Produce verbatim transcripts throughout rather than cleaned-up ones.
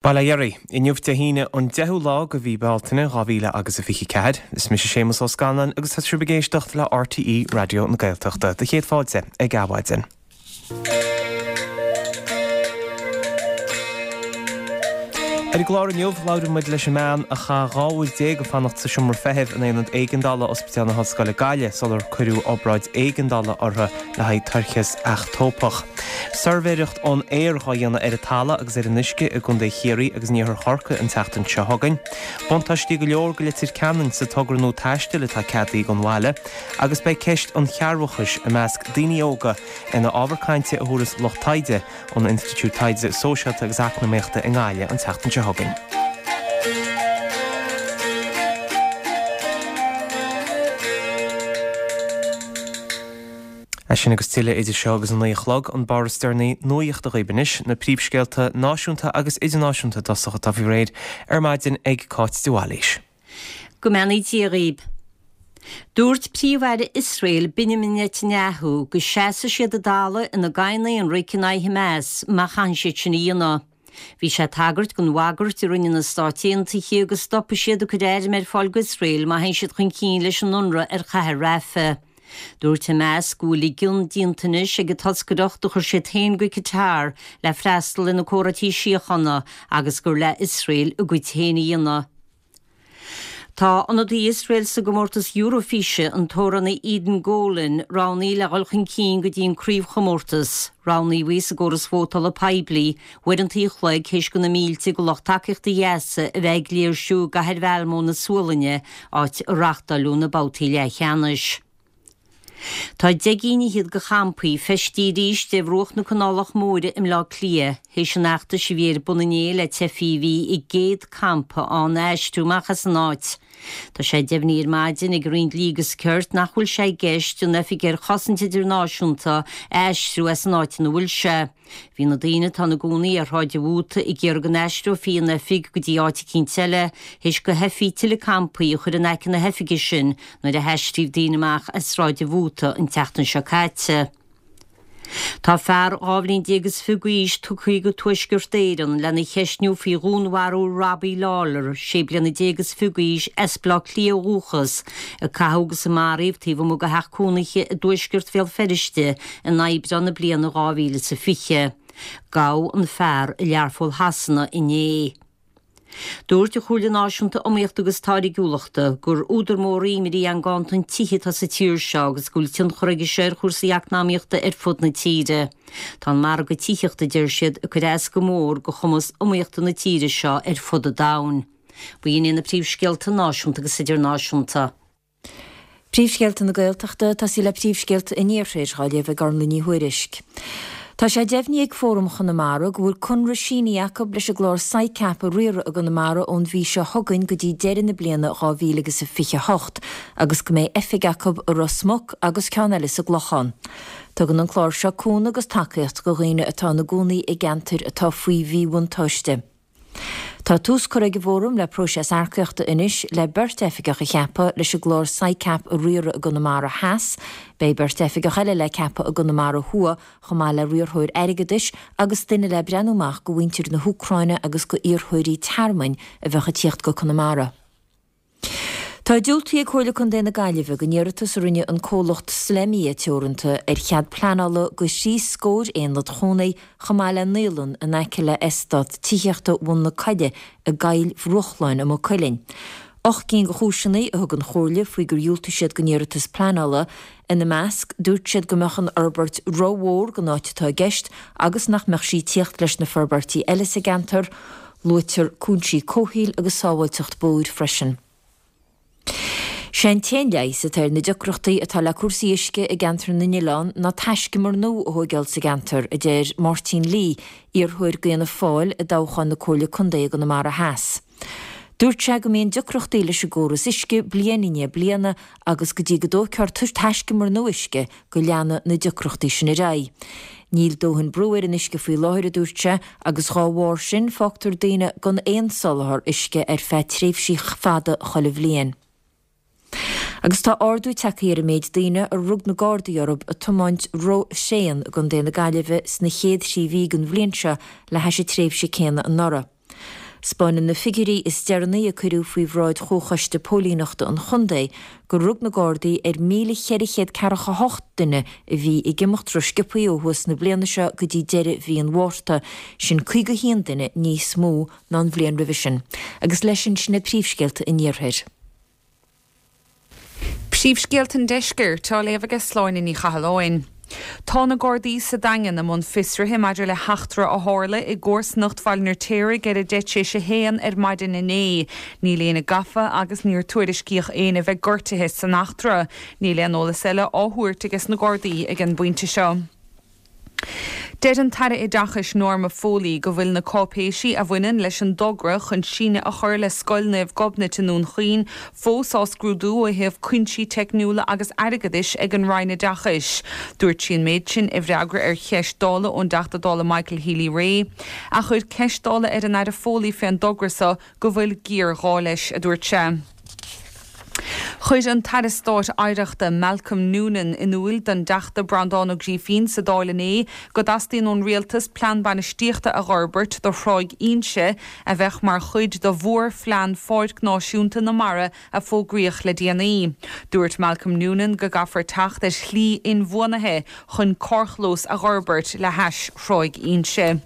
Bail ó Dhia oraibh, inniu Dé hAoine an deichiú lá de mhí Bealtaine dhá mhíle agus a fiche ceathair. Is mise Séamus Ó Scanláin agus tá sibh ag éisteacht le RTÉ Raidió na Gaeltachta. Do chéad fáilte ag Adhmhaidin. Ar an gclár inniu, labhróidh muid leis an mbean a chaith dhá uair déag ag fanacht sa seomra feithimh in aonad éigeandála Ospidéal na hOllscoile Gaillimh sular cuireadh obráid éigeandála uirthi le haghaidh toircheas eachtópach. Suirbhéireacht ón aer dhá dhéanamh ar an talamh agus ar an uisce i gContae Chiarraí agus in iarthar Chorcaí an tseachtain seo chugainn. Buntáistí go leor go Leitir Ceanainn sa togra nua taistil atá ceadaithe don bhaile agus beidh ceist an chearrbhachais i measc daoine óga ina ábhar cainte a thabharfas lucht taighde ón Institiúid Taighde Sóisialta agus Eacnamaíochta i nGaillimh an tseachtain seo chugainn. É sin agus tuilleadh idir seo agus a naoi a chlog, an barr is deireanaí nuachta dhaoibh anois, na príomhscéalta náisiúnta agus idirnáisiúnta i dtosach atá faoi réir ar maidin ag Cáit de Bhailís. Go mbeannaí Dia dhaoibh. Dúirt Príomh-Aire Iosrael Benjamin Netanyahu go seasfaidh siad i dtalamh ina gcoinne ionraic in aghaidh Hamas má chaitheann siad sin a dhéanamh. Bhí sé ag tagairt don bhagairt a rinne na Stáit Aontaithe go stopfaidh siad ag cur airm ar fáil d'Iosrael má théann siad chun cinn leis an ionradh ar chathair Rafah. Dúirt Hamas go bhfuil a gcion déanta anois ag an toscaireacht a chuir siad féin go Qatar le freastal ar na comhráití síochána agus gur le Iosrael a gcuid féin a dhéanamh. Tá ionadaí Iosrael sa gcomórtas Eurofíse, an t-amhránaí Eden Golan, roghnaithe le dhul chun cinn go dtí an craobhchomórtas. Roghnaíodh í sa gcóras vótála poiblí, uaireanta an chloig théis do na mílte de lucht tacaíochta Ghaza a bheith ag léirsiú i gcathair Mhalmö na Sualainne, áit a reáchtáileadh na babhtaí leathcheannais. Tá deich gcinn fhichead de champaí feistithe arís ar bhruach na Canálach Móire i mBleá Cliath, théis an fheachtais a bhí ar bun inné le teifigh a bhí i gcéad campa ann a aistriú amach as an áit. Tá sé deimhnithe ar maidin ag an Roinn Dlí agus Cirt nach bhfuil sé i gceist an Oifig ar Chosaint Idirnáisiúnta a aistriú as an áit ina bhfuil sé. Bhí na daoine atá ina gcónaí ar Shráid an Mhóta ag iarraidh go n-aistreofaí an oifig go dtí áit eicínt eile, théis do theifigh tuilleadh campaí a chur in aice na hoifige sin nuair a haistríodh daoine amach as Sráid an Mhóta an tseachtain seo caite. Tá fear dhá bhliain déag is fiche d'aois tugtha go Tuaisceart Éireann lena cheistniú faoi dhúnmharú Robbie Lawlor, sé bliana déag is fiche d'aois, as Baile Átha Cliath ó dhúchas, a caitheadh agus a maraíodh taobh amuigh de theach cónaithe i dtuaisceart Bhéal Feirste in Aibreán na bliana dhá mhíle is a fiche. Gabhadh an fear i Learpholl Shasana inné. Dúirt an Chomhairle Náisiúnta Iomaíochta agus Táirgiúlachta gur údar mór imní an ganntan tithe atá sa tír seo agus go bhfuil tionchar aige seo ar chúrsaí eacnamaíochta ar fud na tíre. Tá an margadh tithíochta, a deir siad, ag cur as go mór do chumas iomaíochta na tíre seo ar fud an domhain. B'in iad na príomhscéalta náisiúnta agus idirnáisiúnta. Príomhscéalta na Gaeltachta, Tosaí le príomhscéalta an Iarthair, á léamh ag Orla Ní Thuairisg. Tá sé deimhnithe ag Fóram Chonamara go bhfuil conradh sínithe acu leis an gclár SICAP a riaradh i gConamara ón mhí seo chugainn go dtí deireadh na bliana dhá mhíle agus a fiche a hocht agus go mbeidh oifig acu i Ros Muc agus ceann eile sa gClochán. Tugann an clár seo cúnamh agus tacaíocht do dhaoine atá ina gcónaí i gceantair atá faoi mhíbhuntáiste. Tá tús curtha ag an bhFóram le próiseas earcaíochta anois le beirt oifigeach a cheapadh leis an gclár SICAP a riaradh i gConamara Theas. Beidh beirt oifigeach eile le ceapadh i gConamara Thuaidh chomh maith le riarthóir airgeadais agus duine le breathnú amach go mhuintir na hÚcráine agus go iarrthóirí tearmainn a bheadh ag tíocht go Conamara. Tá diúltaithe ag Comhairle Contae na Gaillimhe don iarratas a rinne an comhlacht Slemia Teoranta ar chead pleanála do thrí scór aonad chónaí chomh maith le naíolann in aice le eastát tithíochta Bhun na Coille i gCoill Bhrúchláin i Maigh Cuilinn. Ocht gcinn de chúiseanna a thug an Chomhairle faoi gur dhiúltaigh siad don iarratas pleanála. Ina measc, dúirt siad go mbeadh an fhorbairt rómhór don áit atá i gceist agus nach mbeadh sí ag tíocht leis na forbairtí eile sa gceantar. Luaitear cúinsí comhshaoil agus sábháilteacht bóthair freisin. Sé an t-aon leigheas atá ar na deacrachtaí atá le cúrsaí uisce i gceantar na nOileán ná taiscumar nua a thóigeáil sa gceantar, a deir Máirtín Lee, iarrthóir d'Fhianna Fáil i dtoghchán na Comhairle Contae i gConamara Theas. Dúirt sé go mbíonn deacrachtaí leis an gcóras uisce bliain i ndiaidh bliana agus go dtí go dtógfar taiscumar nua uisce go leanfaidh na deacrachtaí sin ar aghaidh. Níl dóthain brú ar an uisce faoi láthair, a dúirt sé, agus dhá bharr sin fágtar daoine gan aon soláthar uisce ar feadh tréimhsí fada chuile bhliain. Agus tá ardú tagtha ar an méid daoine a rug na Gardaí orthu ag tiomáint ró-thréan i gContae na Gaillimhe sna chéad thrí mhí den bhliain seo le hais an tréimhse céanna anuraidh. 'Spáineann na figiúirí is deireanaí a cuireadh faoi bhráid Chomhchoiste Póilíneachta an Chontae gur rug na Gardaí ar míle cheithre chéad ceathracha hocht duine a bhí ag imeacht rósciobtha ó thús na bliana seo go dtí deireadh mhí an Mhárta, sin caoga haon duine níos mó ná an bhliain roimhe sin. Agus leis sin, sin iad príomhscéalta an Iarthair. Príomhscéalta an Deiscirt á léamh aige Sláine Ní Chathalláin. Tá na Gardaí sa Daingean i mbun fiosraithe maidir le heachtra a tharla i gcomharsanacht Bhaile an Fheirtéaraigh ar a deich tar éis a haon ar maidin inné. Níl éinne gafa agus níor tuairiscíodh éinne bheith gortaithe san eachtra. Níl aon eolas eile á thabhairt aige na Gardaí ag an bpointe seo. Deir an tAire Oideachais Norma Foley go bhfuil na cáipéisí a bhaineann leis an dtogra chun síneadh a chur le Scoil Naomh Gobnait i nDún Chaoin fós á scrúdú ó thaobh cúinsí teicniúla agus airgeadais ag an Roinn Oideachais. Dúirt sí an méid sin i bhfreagra ar cheist Dála ón dTeachta Dála Michael Healy-Rae, a chuir ceist Dála ar an Aire Foley fén dtogra so go bhfuil géarghá leis, a dúirt sé. Chuir an tAire Stáit Oidhreachta Malcolm Noonan in iúl don dTeachta Breandán Ó Grífín sa Dáil inné go dteastaíonn ón Rialtas plean bainistíochta a fhorbairt do Thráigh Inse a bheadh mar chuid de mhórphlean Pháirc Náisiúnta na Mara a fógraíodh le déanaí. Dúirt Malcolm Noonan go gcaithfear teacht ar shlí inbhuanaithe chun carrchlós a fhorbairt le hais Thráigh Inse.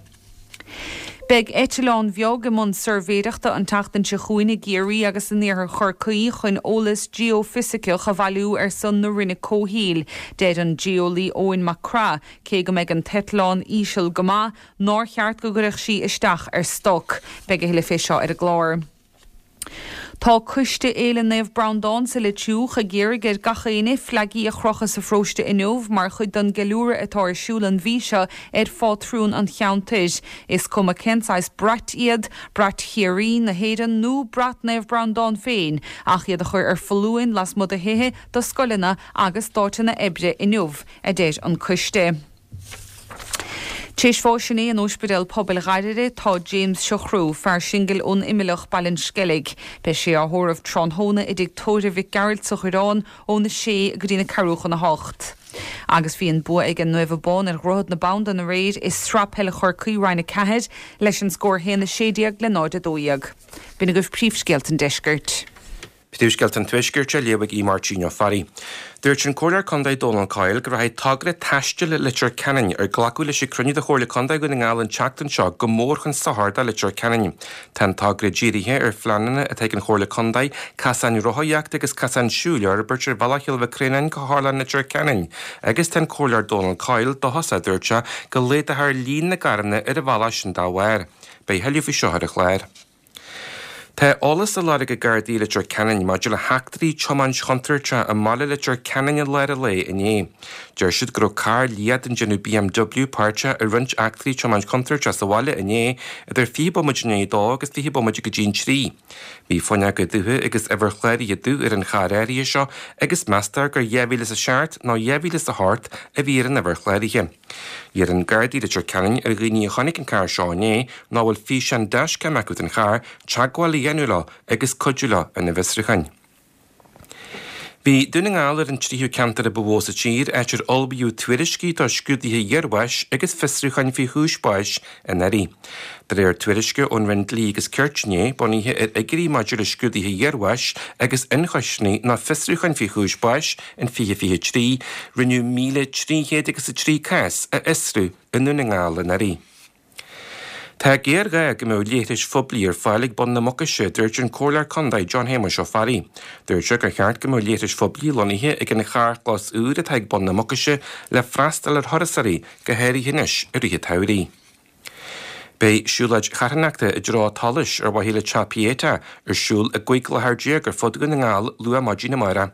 Beidh eitleán bheag i mbun suirbhéireachta an tseachtain seo chugainn i gCiarraí agus in iarthar Chorcaí chun eolas geoifisiceach a bhailiú ar son na Roinne Comhshaoil. Deir an geolaí Eoin Mac Craith, cé go mbeidh an t-eitleán íseal go maith, nár cheart go gcuirfeadh sí isteach ar stoc. Beidh a thuilleadh fé seo ar an gclár. Tá Coiste Fhéile Naomh Breandán sa Leitriúch ag iarraidh ar gach éinne fleagaí a chrochadh sa pharóiste inniu mar chuid den gceiliúradh atá ar siúl an mhí seo ar phátrún an cheantair. Is cuma cén saghas brait iad, brat Chiarraí, na hÉireann nó brat Naomh Breandán féin, ach iad a chur ar foluain lasmuigh de thithe, de scoileanna agus d'áiteanna oibre inniu, a deir an coiste. Théis bháis inné in Ospidéal Pobail Ghairire tá James Siochrú, fear singil ón Imileach, Baile an Sceilg. Beidh sé á thórramh tráthnóna i dtigh tórraimh Mhic Gearailt sa Choireán óna sé go dtí na ceathrú chun a hocht. Agus bhí an bua ag an Naomh Abán ar Dhroichead na Bandan aréir i Sraith Peile Chorcaí Roinn a ceathair leis an scór a haon a sé déag le náid a dó dhéag. B'in agaibh príomhscéalta an deiscirt. Príomhscéalta an Tuaiscirt á léamh ag Aodh Máirtín Ó Fearraigh. Dúirt an Comhairleoir Contae Dónal Coyle go rachaidh togra taistil Leitir Ceanainn ar glacadh leis ag cruinniú de Chomhairle Contae Dhún na nGall an tseachtain seo go mór chun sochair do Leitir Ceanainn. Tá an togra dírithe ar phleananna atá ag an Chomhairle Contae casáin rothaíochta agus casáin siúil a fhorbairt ar bhealach Chill Mhic Réanáin go hArlán Leitir Ceanainn agus tá an Comhairleoir Dónal Coyle dóchasach, dúirt sé, go laghdófar líon na gcarranna ar an bhealach sin dá bharr. Beidh a thuilleadh faoi seo ar an chlár. Tá eolas á lorg ag Gardaí Leitir Ceanainn maidir le heachtraí tiomáint chontúirteach i mbaile Leitir Ceanainn i lár an lae inné. Deir siad go raibh carr liath den déanamh BMW páirteach i roinnt eachtraí tiomáint chontúirteach sa bhaile inné idir fiche bomaite i ndiaidh a dó agus fiche bomaite go dtí an trí. Bhí fuinneoga dubha agus uimhir chláraithe dubh ar an charr áirithe seo agus meastar gur dhá mhíle is a seacht nó dhá mhíle is a hocht a bhí ar an uimhir chláraithe. Iarrann Gardaí Leitir Ceanainn ar dhaoine a chonaic an carr seo inné nó a bhfuil físeán dashcam acu den charr, teagmháil a dhéanamh leo agus cuidiú leo ina bhfiosrúcháin. Bhí Dún na nGall ar an tríú ceantar a ba mhó sa tír áit ar ullmhaíodh tuairiscí do scrúduithe iarbháis agus fiosrúcháin faoi chúis báis anuraidh. De réir tuairisce ón Roinn Dlí agus Cirt inné, bunaithe ar fhigiúirí maidir le scrúduithe iarbháis agus ionchoisní nó fiosrúcháin faoi chúis báis in fiche fiche trí, rinneadh míle trí chéad agus a trí cás a fhiosrú i nDún na nGall anuraidh. Tá géarghá go mbeadh leithris phoiblí ar fáil ag bun na Mucaise, dúirt an Comhairleoir Contae John Shéamuis Ó Fearraigh. Dúirt sé gur cheart go mbeadh leithris phoiblí lonnaithe ag an charrchlós úr atá ag bun na Mucaise le freastal ar thurasóirí, go háirithe anois i rith an tsamhraidh. Beidh siúlóid charthanachta i dtreo tsolais ar mhaithe le Teach Pieta ar siúl i gcúig láthair déag ar fud Dhún na nGall luath maidin amárach.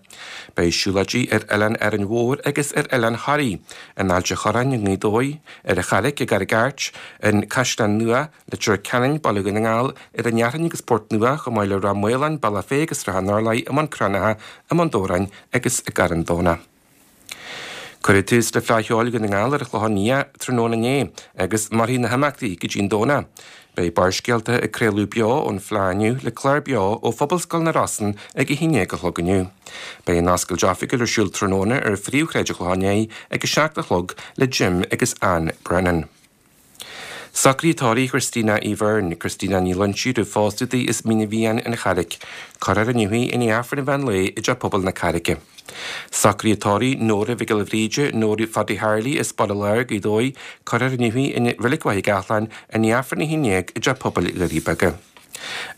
Beidh siúlóidí ar Oileán Árainn Mhór agus ar Oileán Thoraí, in Ailt a' Chorráin i nGaoth Dobhair, ar an Charraic i gCarraig Airt, in Caisleán Nua, Leitir Ceanainn, Baile Dhún na nGall, ar an Fhearthainn agus Port Nua, chomh maith le Ráth Maoláin, Bealach Féich agus Srath an Urláir, i mBun Cranncha, i mBun Dobhráin agus i gCarn Domhnach. Cuireadh tús le Fleadh Cheoil Dhún na nGall ar an Chlochán Liath tráthnóna inné agus mairfidh na himeachtaí go dtí an Domhnach. Beidh Barrscéalta ag craoladh beo ón Fleadh inniu le clár beo ó Phobalscoil na Rosann ag a haon déag a chlog inniu. Beidh an oscailt oifigiúil ar siúl tráthnóna ar phríomhshráid an Chlocháin Léith ag a seacht a chlog le Jim agus Anne Brennan. Socruithe tórraimh Christina Uí Bheirn, Christina Ní Loinsigh roimh phósadh di as Mín an Mhiáin an Charraic. Cuirfear inniu í i ndiaidh Aifreann an mheán lae i dTeach Pobail na Carraice. Socruithe tórraimh Nóra Mhic Giolla Bhríde, Nóra Phaddy Harley as Baile Láir, Gaoth Dobhair, Cuirfear inniu í i Reilig Mhaigh Gathlán i ndiaidh Aifreann a haon déag i dTeach Pobail Dhoirí Beaga.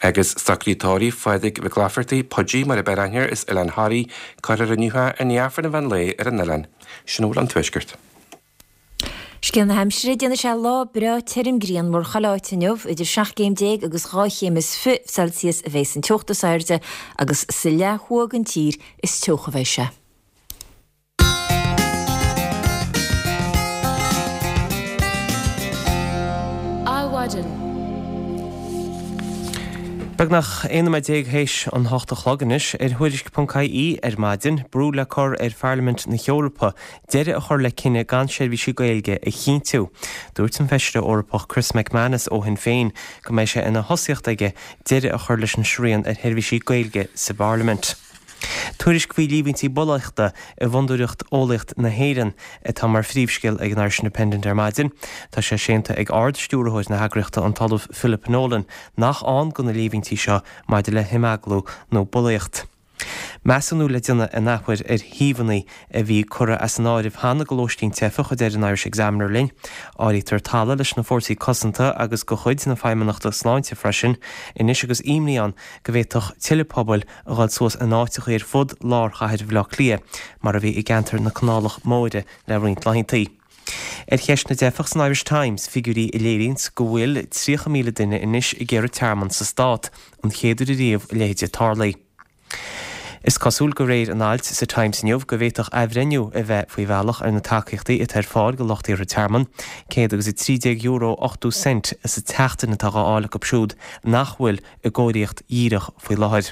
Agus socruithe tórraimh Phádraig Mhic Laifeartaigh, Pudgy mar a b'fhearr aithne air, as Oileán Thoraí, Cuirfear inniu é i ndiaidh Aifreann an mheán lae ar an oileán. Sin a bhfuil ón Tuaisceart. Scéal na haimsire, Déanfaidh sé lá breá tirim grianmhar chuile áit inniu, idir seacht gcéim déag agus dhá chéim is fiche Celsius a bheas an teocht is airde agus sa leath thuaidh den tír is teocha a bheidh sé. Adhmhaidin. Beagnach aon nóiméad déag théis an hocht a chlog anois ar Thuairisc ponc ie ar maidin, brú le cur ar Pharlaimint na hEorpa deireadh a chur le cinneadh gan seirbhísí Gaeilge a chinntiú. Dúirt an Feisire Eorpach Chris MacManus ó Shinn Féin go mbeidh sé ina thosaíocht aige deireadh a chur leis an srian ar sheirbhísí Gaeilge sa bParlaimint. Tuairisc faoi líomhaintí bulaíochta i bhFondúireacht Eolaíocht na hÉireann atá mar phríomhscéal ag an Irish Independent ar maidin. Tá sé séanta ag Ard-Stiúrthóir na heagraíochta an tOllamh Philip Nolan nach ann do na líomhaintí seo maidir le himeaglú nó bulaíocht. Measúnú le déanamh an athuair ar shuíomhanna a bhí curtha as an áireamh cheana do lóistín teifeach, a deir an Irish Examiner linn. Áirítear talamh leis na Fórsaí Cosanta agus de chuid na Feidhmeannachta Sláinte freisin anois agus imní ann go bhféadfadh tuilleadh pobail a dhul suas in áiteacha ar fud lár chathair Bhaile Átha Cliath, mar a bhí i gceantar na Canálach Móire le roinnt laethanta. Ar cheist na dteifeach san Irish Times, figiúirí a léiríonns go bhfuil tríocha míle duine anois ag iarraidh tearmann sa stát, an chéad uair ariamh a leithéid tarlaithe. Is cosúil de réir an ailt sa Times inniu go bhféadfadh athbhreithniú a bheith faoi bhealach ar na tacaíochtaí atá ar fáil do lucht iarrtha tearmann. céad agus a trí déag euro ochtó cent sa tseachtain atá á fháil acu siúd nach bhfuil i gcóiríocht dhíreach faoi láthair.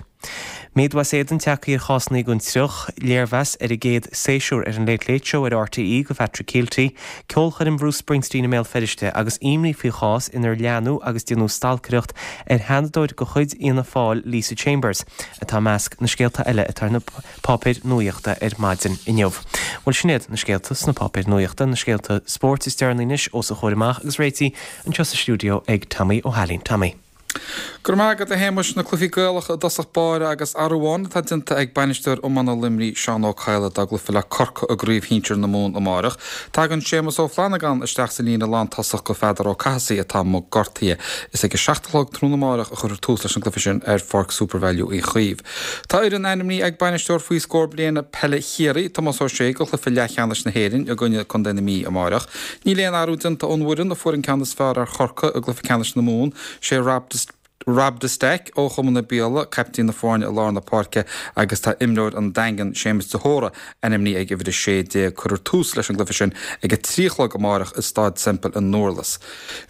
Méadú as éadan tagtha ar chásanna den triuch, léirmheas ar an gcéad séasúr ar an Late Late Show ar RTÉ do Phatrick Kielty, ceolchoirm Bhruce Springsteen i mBéal Feirste agus imní faoi chás inar leanadh agus déanadh stalcaireacht ar sheanadóir de chuid Fhianna Fáil Lisa Chambers atá i measc na scéalta eile atá ar na páipéir nuaíochta ar maidin inniu. Bhuel sin iad na scéalta sna páipéir nuaíochta, na scéalta spóirt is deireanaí anois os a chomhair amach agus réitithe anseo sa stiúideo ag Tommy Ó hAilín. Tommy. Go raibh maith agat a Shéamais, na cluichí Gaelacha i dtosach báire agus athrú amháin atá déanta ag bainisteoir iomána Luimnigh Seán Ó Cadhla dá gcluiche le Corcaigh i gCraobh Shinsir na Mumhan amárach. Tagann Séamus Ó Flannagáin isteach sa líne lántosach do Pheadar Ó Cathasaigh atá amuigh gortaithe. Is ag a seacht a chlog tráthnóna amárach a chuirfear tús leis an gcluiche sin ar Pháirc Supervalu Uí Chaoimh. Tá foireann ainmnithe ag bainisteoir faoi scór bliana peile Chiarraí, Tomás Ó Sé, do chluiche leathcheannais na hÉireann i gcoinne Contae na Mí amárach. Níl aon athrú déanta ón bhfoireann a fuair an ceann is fearr ar Chorcaigh i gcluiche ceannais na Mumhan, sé Rob Rob de Staic ó Chumann na Biaille, caiptín na foirne i lár na páirce agus tá imreoir an Daingin, Séamus de hÓra, ainmnithe ag uimhir a sé déag. Cuirfear tús leis an gcluiche sin ag a trí a chlog amárach i Staid Semple i nDurlas.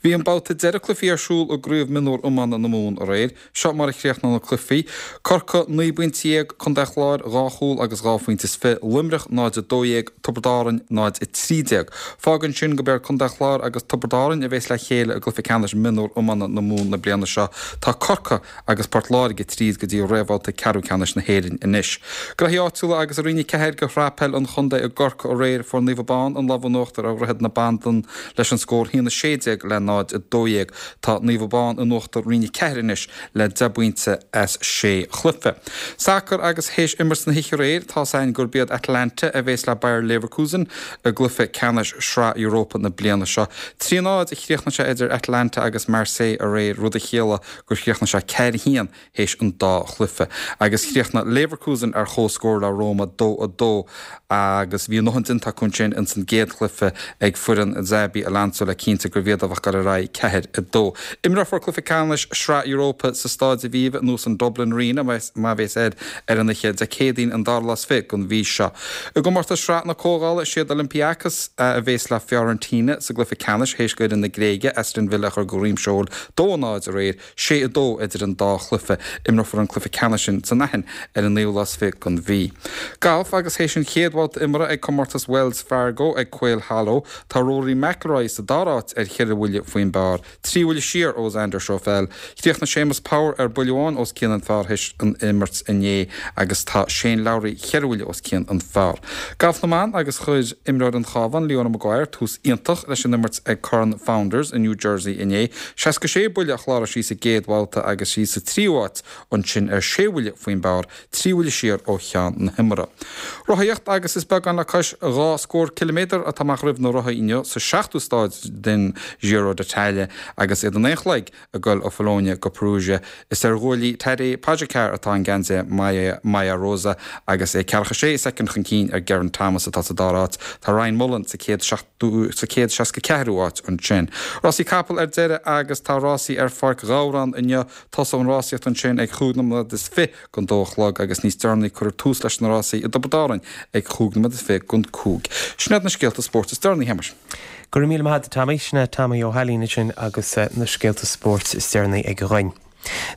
Bhí an babhta deiridh cluichí ar siúl i gCraobh Mionúr Iomána na Mumhan aréir. Seo mar a chríochnaigh na cluichí, Corcaigh naoi bpointe dhéag, Contae an Chláir dhá chúl agus dhá phointe is fiche, Luimneach náid a dó dhéag, Tiobraid Árann náid a trí déag. Fágann sin gurb iad Contae an Chláir agus Tiobraid Árann a bheas le chéile i gcluiche ceannais mionúr iomána na Mumhan na bliana seo. Tá Corcaigh agus Port Láirge tríd go dtí réamhbhabhta ceathrú ceannais na hÉireann anois. Graithí áitiúla agus i Roinn a ceathair de Shraith Peil an Chontae i gCorcaigh aréir fuair Naomh Abán an lámh in uachtar ar Dhroichead na Bandan leis an scór a haon a sé déag le náid a dó dhéag. Tá Naomh Abán in uachtar Roinn a ceathair anois le deich bpointe as sé chluiche. Sacar agus théis imirt na hoíche aréir, tá's againn gurb iad Atalanta a bheas le Bayer Leverkusen i gcluiche ceannais Shraith Europa na bliana seo. Trí náid a chríochnaigh sé idir Atalanta agus Marseille aréir, rud a chiallaigh gur chríochnaigh sé ceathair a haon théis an dá chluiche. Agus chríochnaigh Leverkusen ar comhscór le Roma, dó a dó, agus bhí a ndóthain déanta acu ansin ins an gcéad chluiche ag foireann Xabi Alonso le cinnte gurbh iad a bheadh ag dul ar aghaidh, ceathair a dó. Imreofar cluiche ceannais Shraith Europa sa Staid Aviva nó san Dublin Arena má bheas air ar an oíche Dé Céadaoin an dara lá is fiche den mhí seo. I gcomórtas Shraith na Comhdhála is iad Olympiacos a bheas le Fiorentina sa gcluiche ceannais théis d'fhoireann na Gréige Aston Villa a chur de dhroim seoil, dó a náid aréir, sé sé a dó idir an dá chluiche. Imreofar an cluiche ceannais sin san Aithin ar an naoú lá is fiche den mhí. Galf agus théis an chéad bhabhta imeartha ag comórtas Wells Fargo ag Quail Hollow, tá Rory McIlroy sa dara háit ar cheithre bhuille faoin bpar, trí bhuille siar ó Xander Schauffele. Chríochnaigh Séamus Power ar buille amháin os cionn an phar théis an imirt inné agus tá Shane Lowry cheithre bhuille os cionn an phar. Galf na mban agus chuir imreoir an Chabháin, Leona Maguire, tús iontach leis an imirt ag Corn Founders i New Jersey inné. Seasca sé buille a chláraigh sí sa gcéad bhabhta agus í sa tríú háit ansin ar sé bhuille faoin bpar, trí bhuille siar ó cheann na himeartha. Rothaíocht agus is beagán le cois dhá scór ciliméadar atá amach roimh na rothaithe inniu sa seachtú stáid den Giro d'Italia agus iad a naoi a chlog ag dul ó Bologna go Perugia. Is ar ghuaillí Tadej Pogacar atá an geansaí Maglia Rosa agus é ceathracha sé soicind chun cinn ar Geraint Thomas atá sa dara háit. Tá Ryan Mullen sa chéad sa chéad seasca ceathrú áit ansin. Rásaí capall ar deireadh agus tá rásaí ar Pháirc Ghabhráin inniu. Tosóidh an rásaíocht ansin ag chúig nóiméad is fiche don dó a chlog agus níos deireanaí cuirfear tús leis na rásaí i dTiobraid Árann ag chúig nóiméad is fiche don cúig. Sin iad na scéalta spóirt is deireanaí, a Shéamais. Go raibh míle maith agat, Tommy. Sin é Tommy Ó hAilín ansin agus na scéalta spóirt is deireanaí aige dhúinn.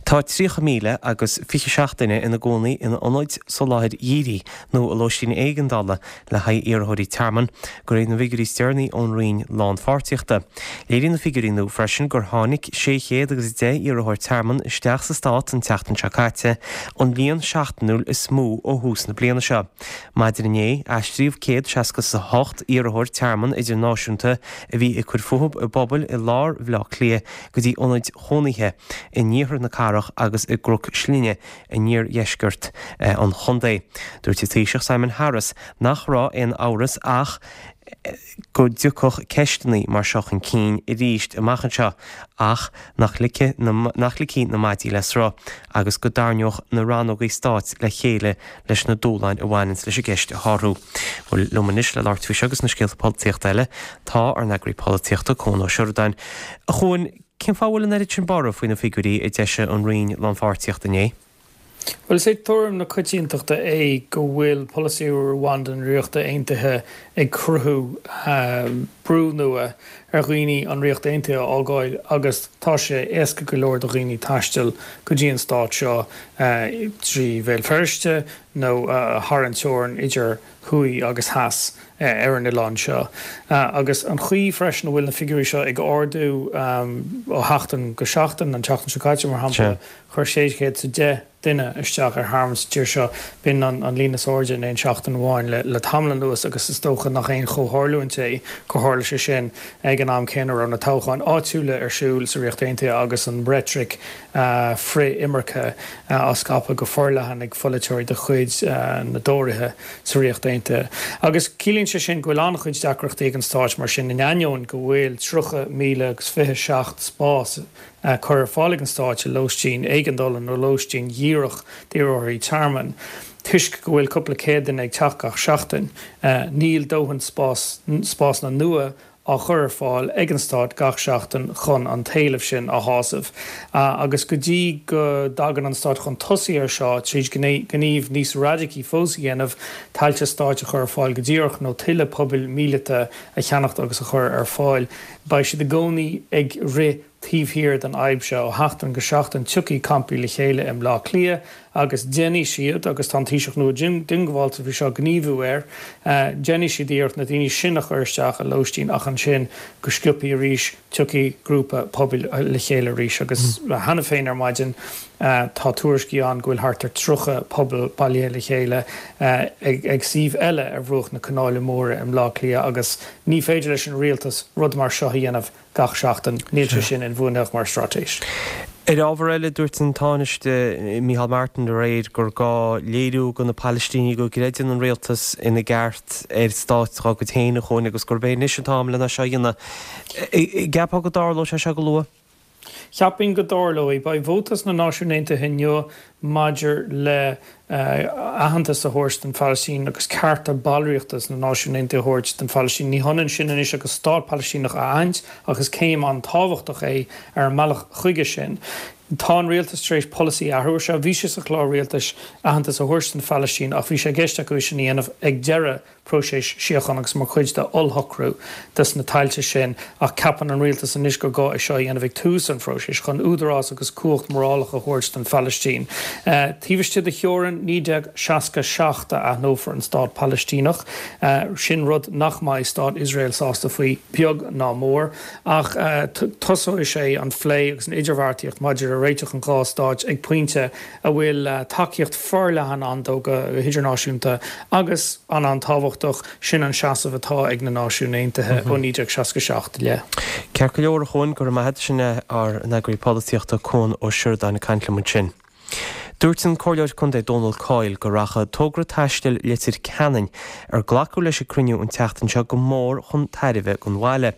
Tá tríocha míle agus fiche seacht duine ina gcónaí in ionaid soláthair dhírigh nó i lóistín éigeandála le haghaidh iarrthóirí tearmainn, de réir na bhfigiúirí is deireanaí ón Roinn Lánpháirtíochta. Léiríonn na figiúirí nua freisin gur tháinig sé chéad agus deich iarrthóir tearmainn isteach sa stát an tseachtain seo caite, an líon seachtainiúil is mó ó thús na bliana seo. Maidin inné, aistríodh céad seasca is a hocht iarrthóir tearmainn idirnáisiúnta a bhí ag cur fúthu i bpobail i lár Bhaile Átha Cliath go dtí ionaid chónaithe in iarthar na cathrach agus i gCnoc Slinne in iardheisceart an chontae. Dúirt an Taoiseach Simon Harris nach raibh aon amhras ach go dtiocfadh ceisteanna mar seo chun cinn arís amach anseo ach nach ligfidh nach ligfí na maidí le sruth agus go dtarraingeodh na rannógaí stáit le chéile leis na dúshláin a bhaineanns leis an gceist a shárú. Bhuel, liom anois le labhairt faoi seo agus na scéalta polaitíochta eile tá ár n-eagraí polaitíochta Cuan Ó Seireadáin. A Chuain, cén fáth a bhfuil an oiread sin borradh faoi na figiúirí a d'eisigh an Roinn Lánpháirtíochta inné? Bhuel, is é tuairim na coitiantachta é go bhfuil polasaí Rwanda na Ríochta Aontaithe ag cruthú brú nua ar dhaoine an Ríocht Aontaithe a fhágáil agus tá sé éasca go leor do dhaoine taisteal go dtí an stát seo trí Bhéal Feirste nó thar an teorainn idir thuaidh agus theas ar an oileán seo. Agus an chaoi freisin a bhfuil na figiúirí seo ag ardú ó sheachtain go seachtain, an tseachtain seo caite mar shampla, chuir sé chéad is a deich duine isteach ar thearmann sa tír seo, b'in an líon is airde in aon seachtain amháin le tamall anuas agus is dócha nach aon chomhtharlúint é gur tharla sé sin ag an am céanna a raibh na toghcháin áitiúla ar siúl sa Ríocht Aontaithe agus an reitric frith-imirce á scaipeadh go forleathan ag pholaiteoirí de chuid na dTóraithe sa Ríocht Aontaithe. Agus ciallaíonn sé sin go bhfuil an-chuid deacrachtaí ag an Stáit mar sin in ainneoin go bhfuil tríocha míle agus fiche seacht spás curtha ar fáil ag an Stáit i lóistín éigeandála nó lóistín dhíreach d'iarrthóirí tearmainn. Toisc go bhfuil cúpla céad duine ag teacht gach seachtain, níl dóthain spás, spásanna nua á chur ar fáil ag an Stát gach seachtain chun an t-éileamh sin a shásamh. Agus go dtí go dtagann an Stát chun tosaigh air seo tríd gníomh níos radacaí fós a dhéanamh, tailte stáit a chur ar fáil go díreach nó tuilleadh pubaill míleata a cheannacht agus a chur ar fáil, beidh siad i gcónaí ag rith taobh thiar den fhadhb seo. Ó sheachtain go seachtain tiocfaidh campaí le chéile i mBleá Cliath agus déanfaidh siad, agus tá an Taoiseach nua diongbháilte faoi seo, gníomhú air, déanfaidh siad iarracht na daoine sin a chur isteach i lóistín ach ansin go sciobtha arís tiocfaidh grúpa pobail le chéile arís agus cheana féin ar maidin tá tuairiscí ann go bhfuil thart ar tríocha pobal bailithe le chéile ag suíomh eile ar bhruach na Canála Móire i mBleá Cliath agus ní féidir leis an rialtas rud mar seo a dhéanamh gach seachtain. Níl sé sin inbhuanaithe mar straitéis. Ar ábhar eile, dúirt an Tánaiste Micheál Martin aréir gur gá léiriú do na Palaistínigh go gcreideann an rialtas ina gceart ar stát dá gcuid féin, a Chuain, agus gurb é anois an t-am lena seo a dhéanamh. An gceapfá go dtarlóidh sé seo go luath? Cheapfainn go dtarlóidh. Beidh vóta sna Náisiúin Aontaithe inniu maidir le aitheantas a thabhairt don Phalaistín agus cearta ballraíochta sna Náisiúin Aontaithe a thabhairt don Phalaistín. Ní hionann sin anois agus stát Palaistíneach a aithint ach is céim an-tábhachtach é ar an mbealach chuige sin. Tá an rialtas tar éis polasaí a athrú seo, bhí sé sa chlár rialtais aitheantas a thabhairt don Phalaistín ach bhí sé i gceist acu é sin a dhéanamh ag deireadh próiseas síochána agus mar chuid de ollshocrú dos na tailte sin ach ceapann an rialtas anois gur gá é seo a dhéanamh ag tús an phróisis chun údarás agus cumhacht mhorálach a thabhairt don Phalaistín. Taobh istigh de theorainn naoi déag seasca seacht a aithneofar an stát Palaistíneach. Sin rud nach mbeidh stát Iosrael sásta faoi beag ná mór ach tosóidh sé an phlé agus an idirbheartaíocht maidir le réiteach an dhá stáit ag pointe a bhfuil tacaíocht forleathan ann dó go hidirnáisiúnta agus an an-tábhachtach, sin an seasamh atá ag na Náisiúin Aontaithe ó naoi déag seasca seacht i leith. Ceart go leor, a Chuain, go raibh maith agat. Sin é ár n-eagraí polaitíochta Cuan Ó Seireadáin ag caint liom ansin. Dúirt an Comhairleoir Contae Dónal Coyle go rachadh togra taistil Leitir Ceanainn ar glacadh leis ag cruinniú an tseachtain seo go mór chun tairbhe don bhaile.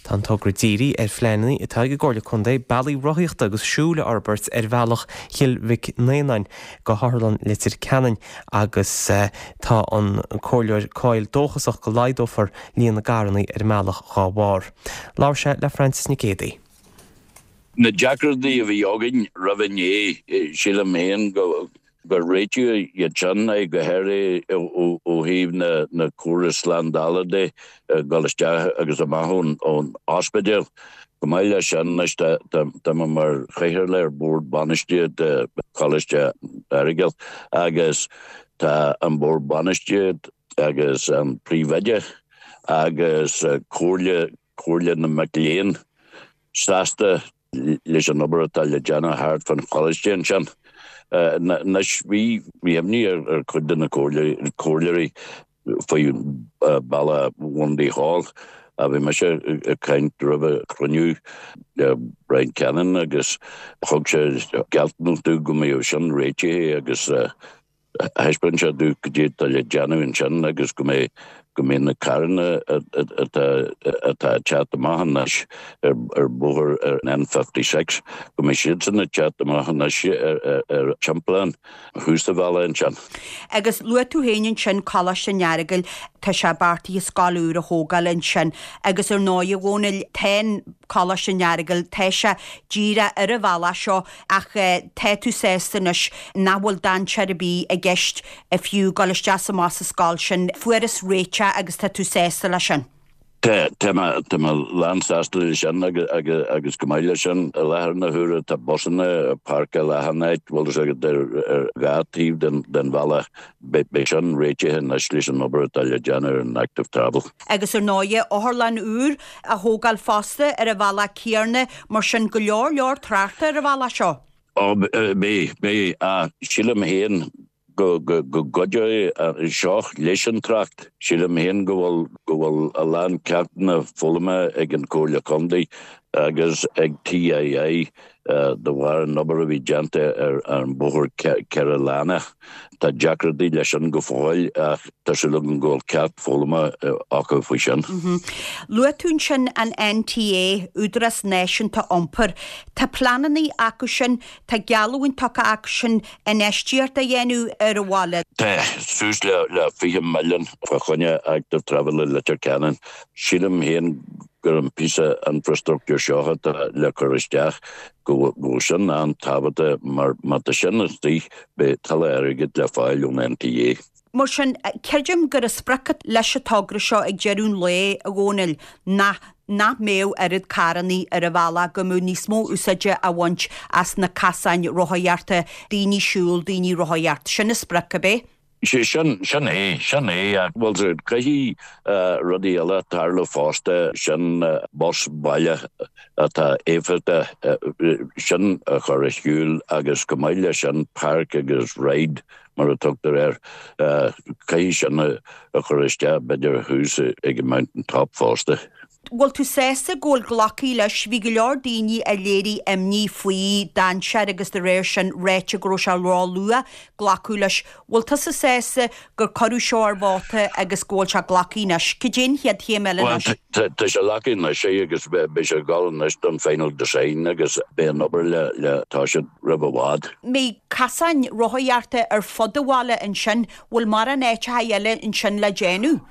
Tá an togra dírithe ar phleananna atá ag an gComhairle Contae bealaí rothaíochta agus siúil a fhorbairt ar bhealach Chill Mhic Néanáin go hOtharlann Leitir Ceanainn agus tá an Comhairleoir Coyle dóchasach go laghdófar líon na gcarranna ar an mbealach dhá bharr. Labhair sé le Francis Nic Géadaigh. Na deacrachtaí a bhí againn roimh inné, sílim féin gur réitíodh iad sin, go háirithe ó thaobh na córas slándála de, dul isteach agus amach ón ospidéal. Chomh maith leis sin, anois tá mé mar chathaoirleach ar Bhord Bainistíochta Choláiste Aireagail agus tá an Bord Bainistíochta agus an Príomhoide agus Comhairle Comhairle na Mac Léinn sásta leis an obair atá le déanamh thart fán choláiste ansin. Anois bhí imní ar chuid de na comhairleoirí faoi bealach Bhundy Hall. Bhí mise ag caint roimh an chruinniú le Brian Cannon agus thug sé gealltanas domh go mbeadh sin réitithe agus Thaispeáin sé domh cad é atá le déanamh ansin agus go mbeidh go mbeidh na carranna atá atá ag teacht amach anois ar ar bóthar ar an N fifty six, go mbeidh siadsan ag teacht amach anois ar ar ar timpeallán thuas an bhealaigh ansin. Agus luaigh tú féin ansin Coláiste an Earagail, tá sé beartaithe scoil úr a thógáil ansin agus ar ndóigh a Dhónaill, tá an Coláiste an Earagail, tá sé díreach ar an bhealach seo ach tá tú sásta anois nach bhfuil dainséar ar bith i gceist fiú dul isteach is amach as an scoil sin. Fuarthas réiteach agus tá tú sásta leis sin. Tá, tá mé, tá mé lánsásta leis sin agus, agus, agus chomh maith leis sin, i láthair na huaire tá busanna ag páirceáil achan áit, bhfuil fhios agat, ar, ar dhá taobh den, den bhealach. Beidh, beidh sin réitithe anois leis an obair atá le déanamh ar an Active Travel. Agus ar ndóighe, otharlann úr á thógáil fosta ar an bhealach céanna, mar sin go leor leor tráchta ar an bhealach seo. Ó, beidh, beidh, ach sílim féin go gcuideoidh seo leis an trácht. Sílim féin go bhfuil, go bhfuil a lán ceachtanna foghlamtha ag an Chomhairle Contae agus ag TII de bharr an obair a bhí déanta ar an bóthar ceithre lána. Tá deacrachtaí leis sin go fóill ach tá súil agam go bhfuil ceacht foghlamtha acu faoi sin. Luaigh tú ansin an NTA, Údarás Náisiúnta Iompair. Tá pleananna acu sin, tá geallúint tugtha acu sin infheistíocht a dhéanamh ar an bhaile. Tá suas le fiche milliún fá choinne Active Travel i Leitir Ceanainn. Sílim féin gur an píosa infrastructúr seo atá le cur isteach, go bhfuil sin an-tábhachtach mar má tá sin istigh beidh tuilleadh airgid le fáil ón NTA. Mar sin, creidim gur an sprioc leis an togra seo ag deireadh an lae, a Dhónaill, ná nach mbeadh oiread carrannaí ar an bhealach, go mbeadh níos mó úsáide á bhaint as na casáin rothaíochta, daoine siúl, daoine rothaíocht. Sin an sprioc, ab é? Sé sin, sin é, sin é, ach bhuel caithfidh rudaí eile tarlú fosta, sin bus baile atá éifeachtach, sin a chur ar siúl agus chomh maith leis sin park agus ride mar a tugtar air, caithfidh sin a chur isteach b'fhéidir thuas ag an Mountain Top fosta. Bhfuil tú sásta go bhfuil glactha leis? Bhí go leor daoine a léirigh imní faoi dainséar agus de réir sin ráite go raibh sé ró-luath glacadh leis. Bhfuil tusa sásta gur cuireadh seo ar vóta agus go bhfuil sé glactha anois? Cad é an chéad chéim eile Bhuel, anois? tá sé glactha anois agus beidh sé ag dul anois don final design agus beidh an obair le le toiseacht roimh i bhfad. mbeidh casáin rothaíochta ar fud an bhaile ansin? Bhfuil mórán áiteacha eile ansin le déanamh?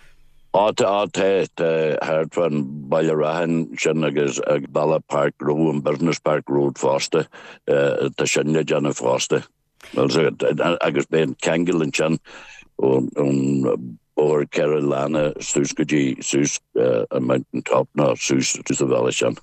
Á tá tá tá thart fan Baile Raithin sin agus ag Bealach Park Road an Business Park Road fosta tá sin le déanamh fosta. Agus beidh an ceangal ansin ón bóthar ceithre lána suas go dtí suas an Mountain Top ná suas suas an bhealach sin.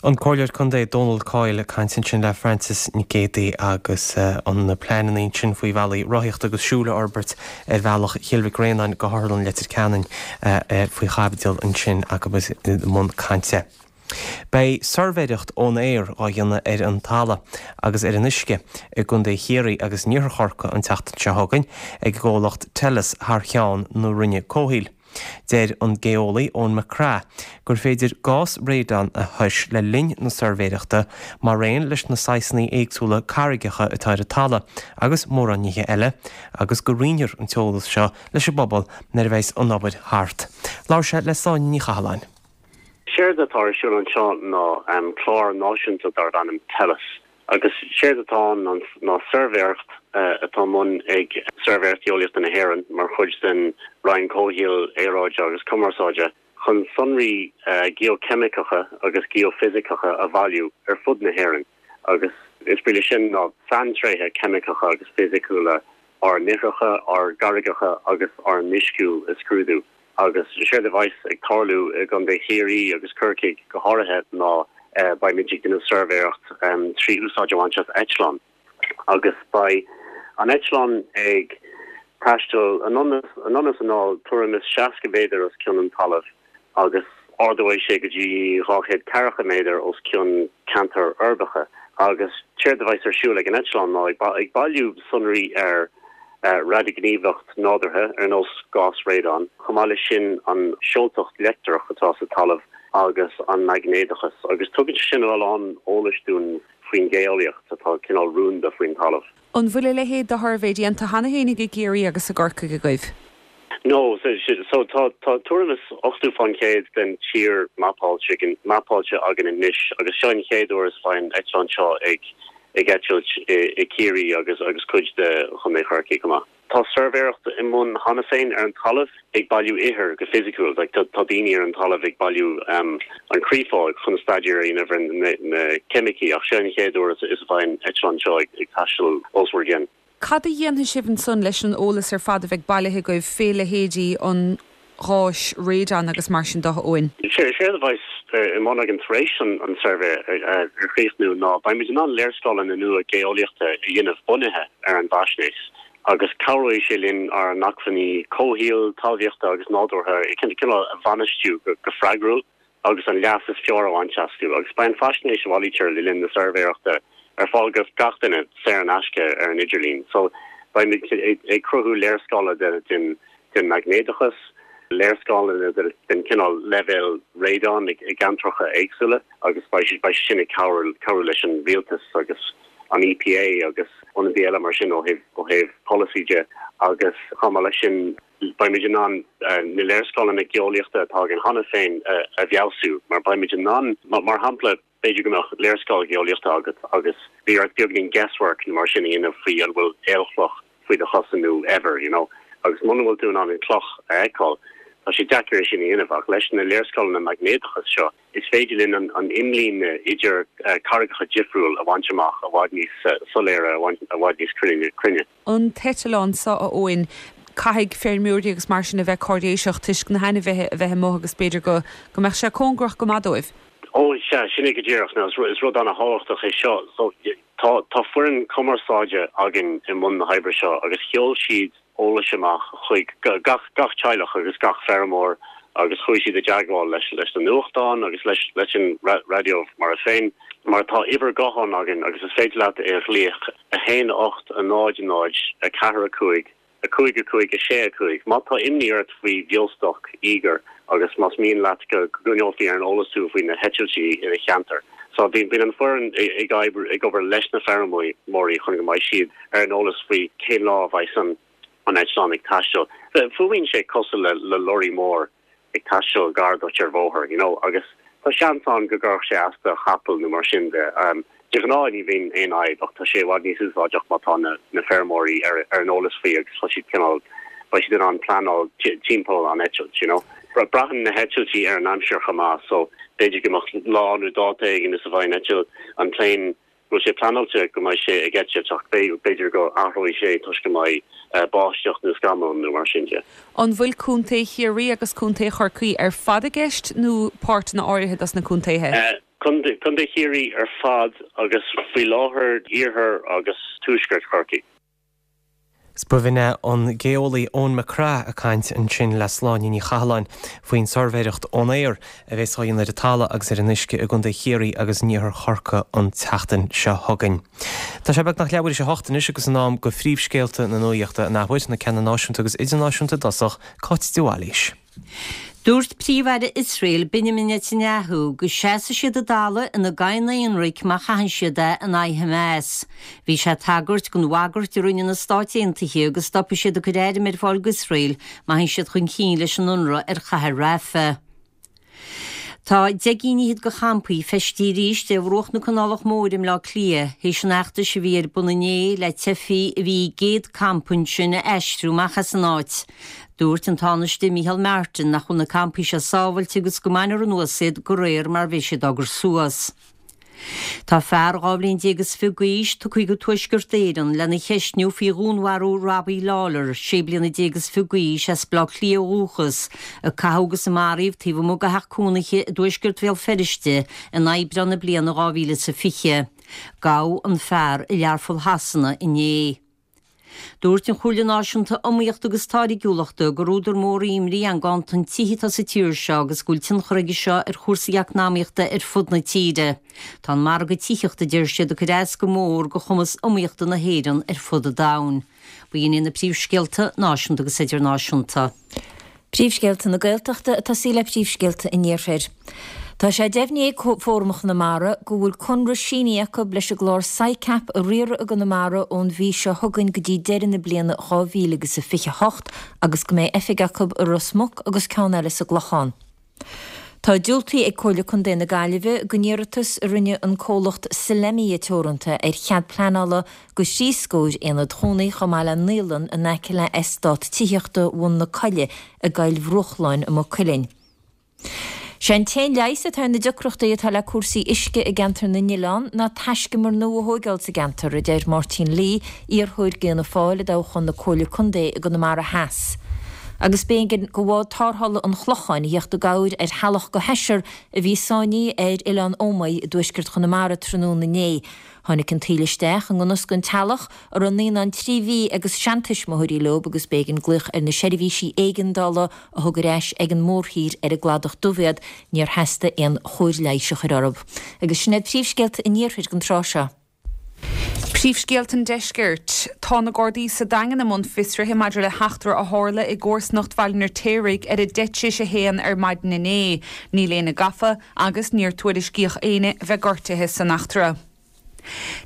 An Comhairleoir Contae Dónal Coyle ag caint ansin le Frances Nic Géadaigh agus an na pleananna sin faoi bhealaí rothaíochta agus siúil a fhorbairt ar bhealach Chill Mhic Réanáin go hOtharlann Leitir Ceanainn faoi chaibidil ansin agus i mbun cainte. Beidh suirbhéireacht ón aer á dhéanamh ar an talamh agus ar an uisce i gContae Chiarraí agus in Iarthar Chorcaí an tseachtain seo chugainn ag an gcomhlacht Tellus thar cheann na Roinne Comhshaoil. Deir an geolaí Eoin McCraith gur féidir gás radon a thomhas le linn na suirbhéireachta mar aon leis na saghsanna éagsúla carraigeacha atá ar an talamh agus mórán nithe eile agus go roinnfear an t-eolas seo leis an bpobal nuair a bheas an obair thart. Labhair sé le Sláine Ní Chathalláin. Séard atá ar siúl anseo ná clár náisiúnta darb ainm Tellus agus séard atá ann ná suirbhéireacht atá i mbun ag Suirbhéireacht Gheolaíochta na hÉireann mar chuid den Roinn Comhshaoil, Aeráide agus Cumarsáide chun sonraí geocheimiceacha agus geoifisiceacha a bhailiú ar fud na hÉireann agus is brí leis sin ná saintréithe ceimiceacha agus fisiciúla ár n-ithreacha, ár gcarraigeacha agus ár n-uisciú a scrúdú. Agus séard a bheas ag tarlú i gContae Chiarraí agus Corcaigh go háirithe ná beimid ag déanamh suirbhéireacht trí úsáid a bhaint as eitleán. Agus beidh an eitleán ag taisteal anonn is anall tuairim is seasca méadar os cionn an talaimh agus ardóidh sé go dtí dhá chéad ceathracha méadar os cionn ceantair uirbeacha. Agus séard a bheas ar siúl ag an eitleán ná ag bailiú sonraí ar radaighníomhaíocht nádúrtha ar nós gás radon, chomh maith leis sin an seoltacht leictreach atá sa talamh agus an maighnéadachas, agus tugann sé sin a lán eolais dúinn faoin gheolaíocht atá cineál rúnda faoin talamh. An bhfuil a leithéid de shuirbhé déanta cheana féin i gCiarraí agus i gCorcaigh agaibh? No, so tá tá tuairim is ochtó faoin gcéad den tír mapáilte mapáilte againn anois agus seo an chéad uair is a bheidh an eitleán seo ag ag eitilt i Ciarraí agus agus cuid de Chontae Chorcaí chomh maith. Tá suirbhéireacht i mbun cheana féin ar an talamh ag bailiú ithir go fisiciúil, like tá daoine ar an talamh ag bailiú an chréafóg chun staidéar a dhéanamh ar na ceimicí ach seo an chéad uair is a bheidh an eitleán seo ag taisteal os bhur gcionn. Cad a dhéanfaidh sibh ansan leis an eolas ar fad a bheidh bailithe agaibh fé leithéidí an gháis radon agus mar sin de, a Eoin? Séard a bheas i mbun againn tar éis an suirbhé a chríochnú ná beimid in ann léarscáileanna nua geolaíochta a dhéanamh bunaithe ar an bhfaisnéis agus cabhróidh sé linn ár n-acmhainní comhshaoil, talmhaíochta agus nádúrtha cineál a bhainistiú go freagrúil. agus an leas is fearr a bhaint astu, agus beidh an faisnéis a bhailítear le linn na suirbhéireachta ar fáil do gach duine saor in aisce ar an idirlíon. So, beimid ag cruthú léarscáile den den maighnéadachas, léarscáileanna den cineál leibhéal radon i gceantracha éagsúla agus beidh sé sin ag cabhrú cabhrú leis an rialtas agus an EPA agus ionadaí eile mar sin ó thaobh ó thaobh polasaí de agus chomh maith leis sin beimid in ann na léarscáileanna geolaíochta atá againn cheana féin a fheabhsú mar beimid in ann, mar shampla, b'fhéidir go mbeadh léarscáil gheolaíochta agat agus bhí ort beagnín guesswork nó mar sin a dhéanamh faoi an bhfuil aolchloch faoi do chosa nó eibhear, you know, agus muna bhfuil tú in ann an cloch a fheiceáil, tá sé deacair é sin a dhéanamh ach leis na léarscáileanna maighnéadachais seo is féidir linn an an imlíne idir carraigeacha difriúil a bhaint amach i bhfad níos soiléire, i bhfad níos cruinne. An t-eitleán seo, a Eoin, caithfidh feirmeoirí agus mar sin a bheith cáiréiseach toisc na hainmhithe a bheith amuigh agus b'fhéidir go go mbeadh sé cóngarach go maith dóibh. Ó, sea, sin é go díreach. Now, is rud ana-thábhachtach é seo. So, tá tá foireann cumarsáide againn i mbun na hoibre seo agus sheol siad eolais amach chuig gach gach teaghlach agus gach feirmeoir agus chuaigh siad i dteagmháil leis leis na nuachtáin agus leis leis an raidió mar féin. Mar tá uimhir gutháin againn agus is féidir leat é a ghlaoch, a haon ocht a náid a náid a ceathair a cúig a cúig a cúig a sé a cúig. Má tá imní ort faoi bheostoc íogair agus más mian leat go gcoinneofaí ar an eolas thú faoi na heitiltí i do cheantar. So bíonn an foireann ag obair ag obair leis na feirmeoirí chun go mbeidh siad ar an eolas faoi cén lá a bheidh an an eitleán ag taisteal. Fuaimíonn sé cosúil le le lorry mór ag taisteal gar duit ar bhóthar, you know, agus tá seans ann go gcuirfeadh sé as do chapall nó mar sin de. De ghnáth ní bhíonn aon fhadhb ach tá sé i bhfad níos úsáideach má tá na na feirmeoirí ar ar an eolas faoi agus tá siad cineál beidh siad in ann pleanáil timpeall an eitilt, you know. Braitheann na heitiltí ar an aimsir chomh maith so b'fhéidir go mbeadh lá nó dáta éigin is a bheidh an eitilt, an plane, go bhfuil sé pleanáilte go mbeidh sé ag eitilt ach b'fhéidir go athróidh sé toisc go mbeidh báisteach nó scamall nó mar sin de. An bhfuil Contae Chiarraí agus Contae Chorcaí ar fad i gceist nó páirteanna áirithe dos na contaetha? Contae Chiarraí ar fad agus faoi láthair iarthar agus tuaisceart Chorcaí. 'S b'in é an geolaí Eoin McCraith ag caint ansin le Sláine Ní Chathalláin faoin suirbhéireacht ón aer a bheas á dhéanamh ar an talamh agus ar an uisce i gContae Chiarraí agus in iarthar Chorcaí an tseachtain seo chugainn. Tá sé beagnach leathuair tar éis a hocht anois agus in am go phríomhscéalta na nuachta an athuair, na ceanna náisiúnta agus idirnáisiúnta i dtosach, Cáit de Bhailís. Dúirt Príomh-Aire Iosrael Benjamin Netanyahu go seasfaidh siad a dtalamh ina gcoinne ionraic má chaitheann siad é in aghaidh Hamas. Bhí sé ag tagairt don bhagairt a rinne na Stáit Aontaithe go stopfaidh siad ag cur airm ar fáil d'Iosrael má théann siad chun cinn leis an ionradh ar chathair Rafah. Tá deich gcinn fhichead de champaí feistithe arís ar bhruach na Canálach Móire i mBleá Cliath théis an fheachtais a bhí ar bun inné le teifigh a bhí i gcéad campa ansin a aistriú amach as an áit. Dúirt an Tánaiste Micheál Martin nach bhfuil na campaí seo sábhailte agus go mbainfear anuas iad de réir mar a bheidh siad á gcur suas. Tá fear dhá bhliain déag is fiche d'aois tugtha go Tuaisceart Éireann lena cheistniú faoi dhúnmharú Robbie Lawlor, sé bliana déag is fiche d'aois, as Baile Átha Cliath ó dhúchas, a caitheadh agus a maraíodh taobh amuigh de theach cónaithe i dtuaisceart Bhéal Feirste in Aibreán na bliana dhá mhíle is a fiche. Gabhadh an fear i Learpholl Shasana inné. Dúirt an Chomhairle Náisiúnta Iomaíochta agus Táirgiúlachta gur údar mór imní an ganntan tithe atá sa tír seo agus go bhfuil tionchar aige seo ar chúrsaí eacnamaíochta ar fud na tíre. Tá an margadh tithíochta, a deir siad, ag cur as go mór do chumas iomaíochta na hÉireann ar fud an domhain. B'in iad na príomhscéalta náisiúnta agus idirnáisiúnta. Príomhscéalta na Gaeltachta ag tosaí le príomhscéalta an Iarthair. Tá sé deimhnithe ag Fóram Chonamara go bhfuil conradh sínithe acu leis an gclár SICAP a riaradh i gConamara ón mhí seo chugainn go dtí deireadh na bliana dhá mhíle agus a fiche a hocht agus go mbeidh oifig acu i Ros Muc agus ceann eile sa gClochán. Tá diúltaithe ag Comhairle Contae na Gaillimhe don iarratas a rinne an comhlacht Solemia Teoranta ar chead pleanála do thrí scór aonad chónaí chomh maith le naíolann in aice le eastát tithíochta Bhun na Coille i gCoill Bhruachláin i Maigh Cuilinn. Sé an t-aon leigheas atá ar na deacrachtaí atá le cúrsaí uisce i gceantar na nOileán ná taiscumar nua a thóigeáil sa gceantar, a deir Máirtín Lee, iarrthóir d'Fhianna Fáil i dtoghchán na Comhairle Contae i gConamara Theas. Agus b'éigean do bhád tarrthála an Chlocháin a theacht i gcabhair ar theaghlach de sheisear a bhí sáinnithe ar Oileán Ómaigh i dtuaisceart Chonamara tráthnóna inné. Tháinig an taoille isteach i ngan fhios don teaghlach, a raibh naíonán trí mhí agus seantuismitheoirí leo agus b'éigean glaoch ar na seirbhísí éigeandála a thug ar ais ag an mórthír ar an gCladach Dubh iad, níor theastaigh aon chóir leighis a chur orthu. Agus sin iad príomhscéalta an iarthair don tráth seo. Príomhscéalta an Deiscirt. Tá na Gardaí sa Daingean i mbun fiosraithe maidir le heachtra a tharla i gcomharsanacht Bhaile an Fheirtéaraigh ar a deich tar éis a haon ar maidin inné. Níl éinne gafa agus níor tuairiscíodh éinne a bheith gortaithe san eachtra.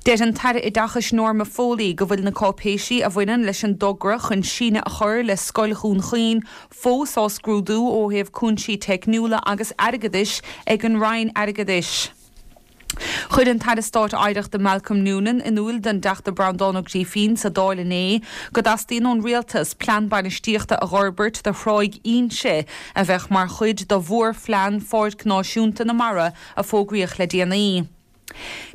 Deir an tAire Oideachais Norma Foley go bhfuil na cáipéisí a bhaineann leis an dtogra chun síneadh a chur le Scoil Dhún Chaoin fós á scrúdú ó thaobh cúinsí teicniúla agus airgeadais ag an Roinn Airgeadais. Chuir an tAire Stáit Oidhreachta Malcolm Noonan in iúl don dTeachta Breandán Ó Grífín sa Dáil inné go dteastaíonn ón Rialtas plean bainistíochta a dh'fhorbairt do Thráigh Inse a bheadh mar chuid de mhórphlean Pháirc Náisiúnta na Mara a fógraíodh le déanaí.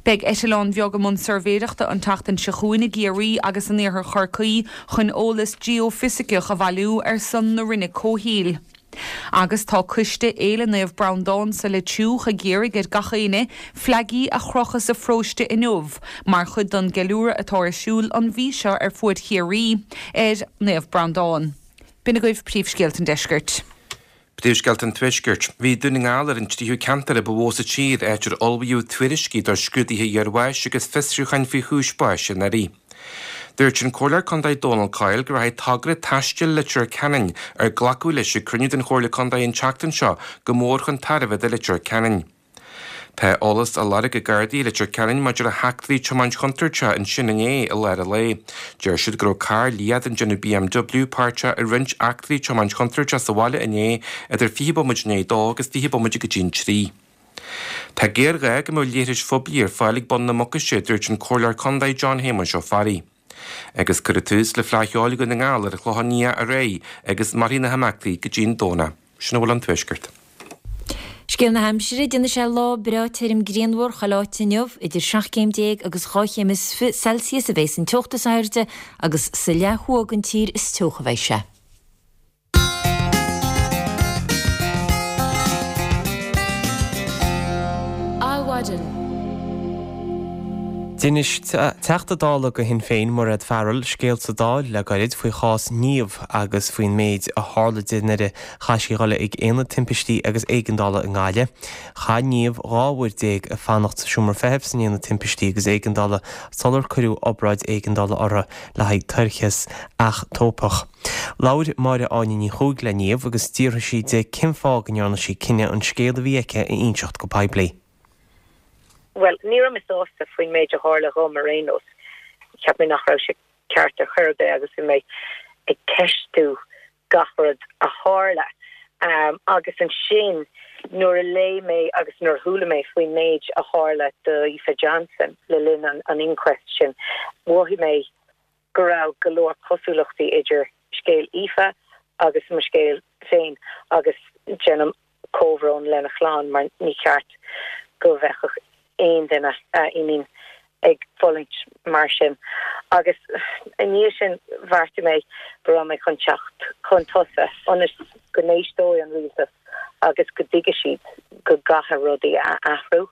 Beidh eitleán bheag i mbun suirbhéireachta an tseachtain seo chugainn i gCiarraí agus in iarthar Chorcaí chun eolas geoifisiceach a bhailiú ar son na Roinne Comhshaoil. Agus tá coiste Fhéile Naomh Breandán sa Leitriúch ag iarraidh ar gach éinne fleaigí a chrochadh sa pharóiste inniu mar chuid den gceiliúradh atá ar siúl an mhí seo ar fuaid Chiarraí ar Naomh Breandán. B'in agaibh príomhscéalta an deiscirt. Príomhscéalta an Tuaiscirt. Bhí Dún na nGall ar an tríú ceantar a ba mhó sa tír áit ar ullmhaíodh tuairiscí do scrúduithe iarbháis agus fiosrúcháin faoi chúis báis anuraidh. Dúirt an Comhairleoir Contae Dónal Coyle go rachaidh togra taistil Leitir Ceanainn ar glacadh leis ag cruinniú den Chomhairle Contae an tseachtain seo go mór chun tairbhe do Leitir Ceanainn. Tá eolas á lorg ag Gardaí i Leitir Ceanainn maidir le heachtraí tiomáint chontúirteach ansin inné i lár an lae. Deir siad go raibh carr liath den déanamh BMW páirteach i roinnt eachtraí tiomáint chontúirteach sa bhaile inné idir fiche bomaite i ndiaidh a dó agus fiche bomaite go dtí an trí. Tá géarghá go mbeadh leithris phoiblí ar fáil ag bun na Mucaise, a dúirt an Comhairleoir Contae John Shéamuis Ó Fearraigh. Agus cuireadh tús le Fleadh Cheoil Dhún na nGall ar an Chlochán Liath aréir agus mairfidh na himeachtaí go dtí'n Domhnach. Sin a bhfuil ón Tuaisceart. Scéal na haimsire, déanfaidh sé lá breá tirim grianmhar chuile áit inniu, idir seacht gcéim déag agus dhá chéim is fiche Celsius a bheas an teocht is airde agus sa leath thuaidh den tír is teocha a bheidh sé. Adhmhaidin. D'inis Teachta Dála do Shinn Féin, Mairéad Farrell, scéal sa Dáil le gairid faoi chás Niamh agus faoin méid a tharla di nuair a chaith sí a dhul ag Aonad Timpistí agus Éigeandála i nGaillimh. Chaith Niamh dhá uair déag ag fanacht sa seomra feithimh san Aonad Timpistí agus Éigeandála sular cuireadh obráid éigeandála uirthi le haghaidh toircheas eachtópach. Labhair Máire Áine Ní Chuaig le Niamh agus d'fhiafraigh sí di cén fáth go ndearna sí cinneadh an scéal a bhí aici a inseacht go poiblí. Bhuel, ní raibh mé sásta faoin méid a tharla dhom ar aon nós. Cheap mé nach raibh sé ceart ar chor ar bith agus bhí mé ag ceistiú gach rud a tharla. Um, agus ansin nuair a léigh mé agus nuair a chuala mé faoin méid a tharla do Aoife Johnson le linn an, an inquest sin, mhothaigh mé go raibh go leor cosúlachtaí idir scéal Aoife agus mo scéal féin agus déanaim comhbhrón lena chlann mar ní ceart go bheadh aon duine I mean ag fulaingt mar sin. Agus i ndiaidh sin bheartaigh mé go raibh mé chun teacht chun tosaigh ionas go n-éisteoidh an rialtas agus go dtuigfidh siad go gcaithfidh rudaí a athrú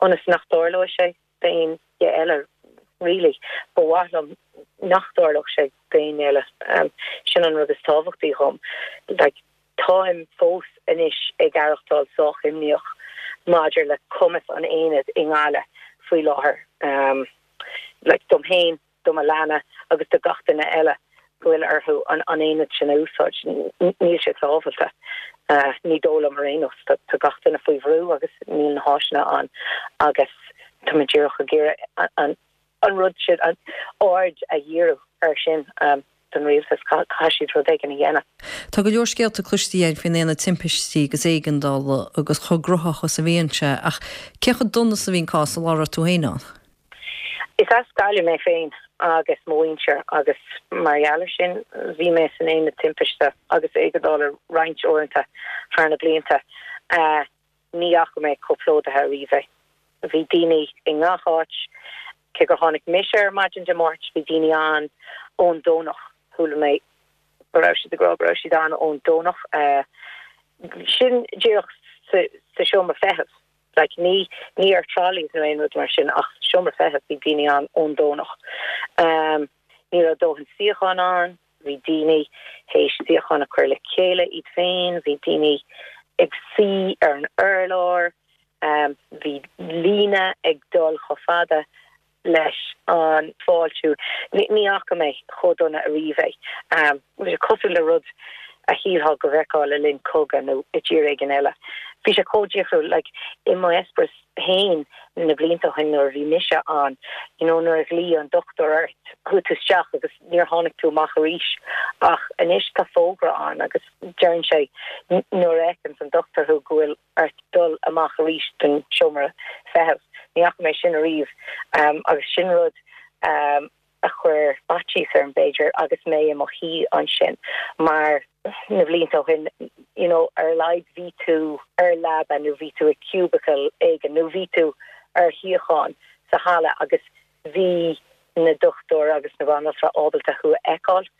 ionas nach dtarlóidh sé d'aon duine eile really. Ba mhaith liom nach dtarlódh sé d'aon eile. Sin an rud is tábhachtaí dhom. Like, táim fós anois ag aireachtáil sách imníoch maidir le cumas an aonaid i nGaillimh faoi láthair. Um, like, dom féin, do mo leanaí agus do gach duine eile go bhfuil orthu an, an aonad sin a úsáid. Níl sé sábháilte. Uh, ní dóigh liom ar aon nós tá gach duine faoi bhrú agus níl na háiseanna ann agus tá mé díreach ag iarraidh an, an rud sin an aird a dhíriú ar sin um, don rialtas caithfidh siad rud éigin a dhéanamh. Tá go leor scéalta cloiste againn faoin aonad timpistí agus éigeandála agus chomh gnóthach is a bhíonn sé, ach cé chomh dona is a bhí an cás an lá a raibh tú féin ann? Is as Gaillimh mé féin agus mo mhuintir agus mar gheall air sin bhí mé san aonad timpiste agus éigeandála roinnt uaireanta thar na blianta. Uh, ní fhaca mé chomh plódaithe ariamh é. Bhí daoine i ngach áit, cé gur tháinig mise ar maidin Dé Máirt, bhí daoine ann ón Domhnach. Chuala mé go raibh siad ag rá go raibh siad ann ón Domhnach. Uh, sin díreach sa, sa seomra feithimh. Like, ní, ní ar trolleys nó aon rud mar sin ach seomra feithimh bhí daoine ann ón Domhnach. Um, ní raibh dóthain suíochán ann, bhí daoine théis suíochán a chur le chéile iad féin, bhí daoine ag suí ar an urlár, um, bhí líne ag dul chomh fada leis an fáiltiú. Ní ní fhaca mé chomh dona ariamh é. Um, bhí sé cosúil le rud a shílfeá go bhfeicfeá le linn cogadh nó i dtír éigin eile. Bhí sé chomh difriúil like, i mo eispéireas féin na blianta ó shin nuair a bhí mise ann, you know, nuair a ghlaoigh an dochtúir ort, chuaigh tú isteach agus níor tháinig tú amach arís. Ach anois tá fógra ann agus deireann sé nuair a fheiceann an dochtúir thú go bhfuil ort dul amach arís den seomra feithimh. Ní fhaca mé sin ariamh um, agus sin rud um, a chuir faitíos orm b'fhéidir agus mé i mo shuí ansin mar na blianta ó shin you know, ar a laghad bhí tú ar leaba nó bhí tú i cubicle éigin nó bhí tú ar shuíochán sa halla agus bhí na dochtúir agus na banaltra ábalta thú a fheiceáil.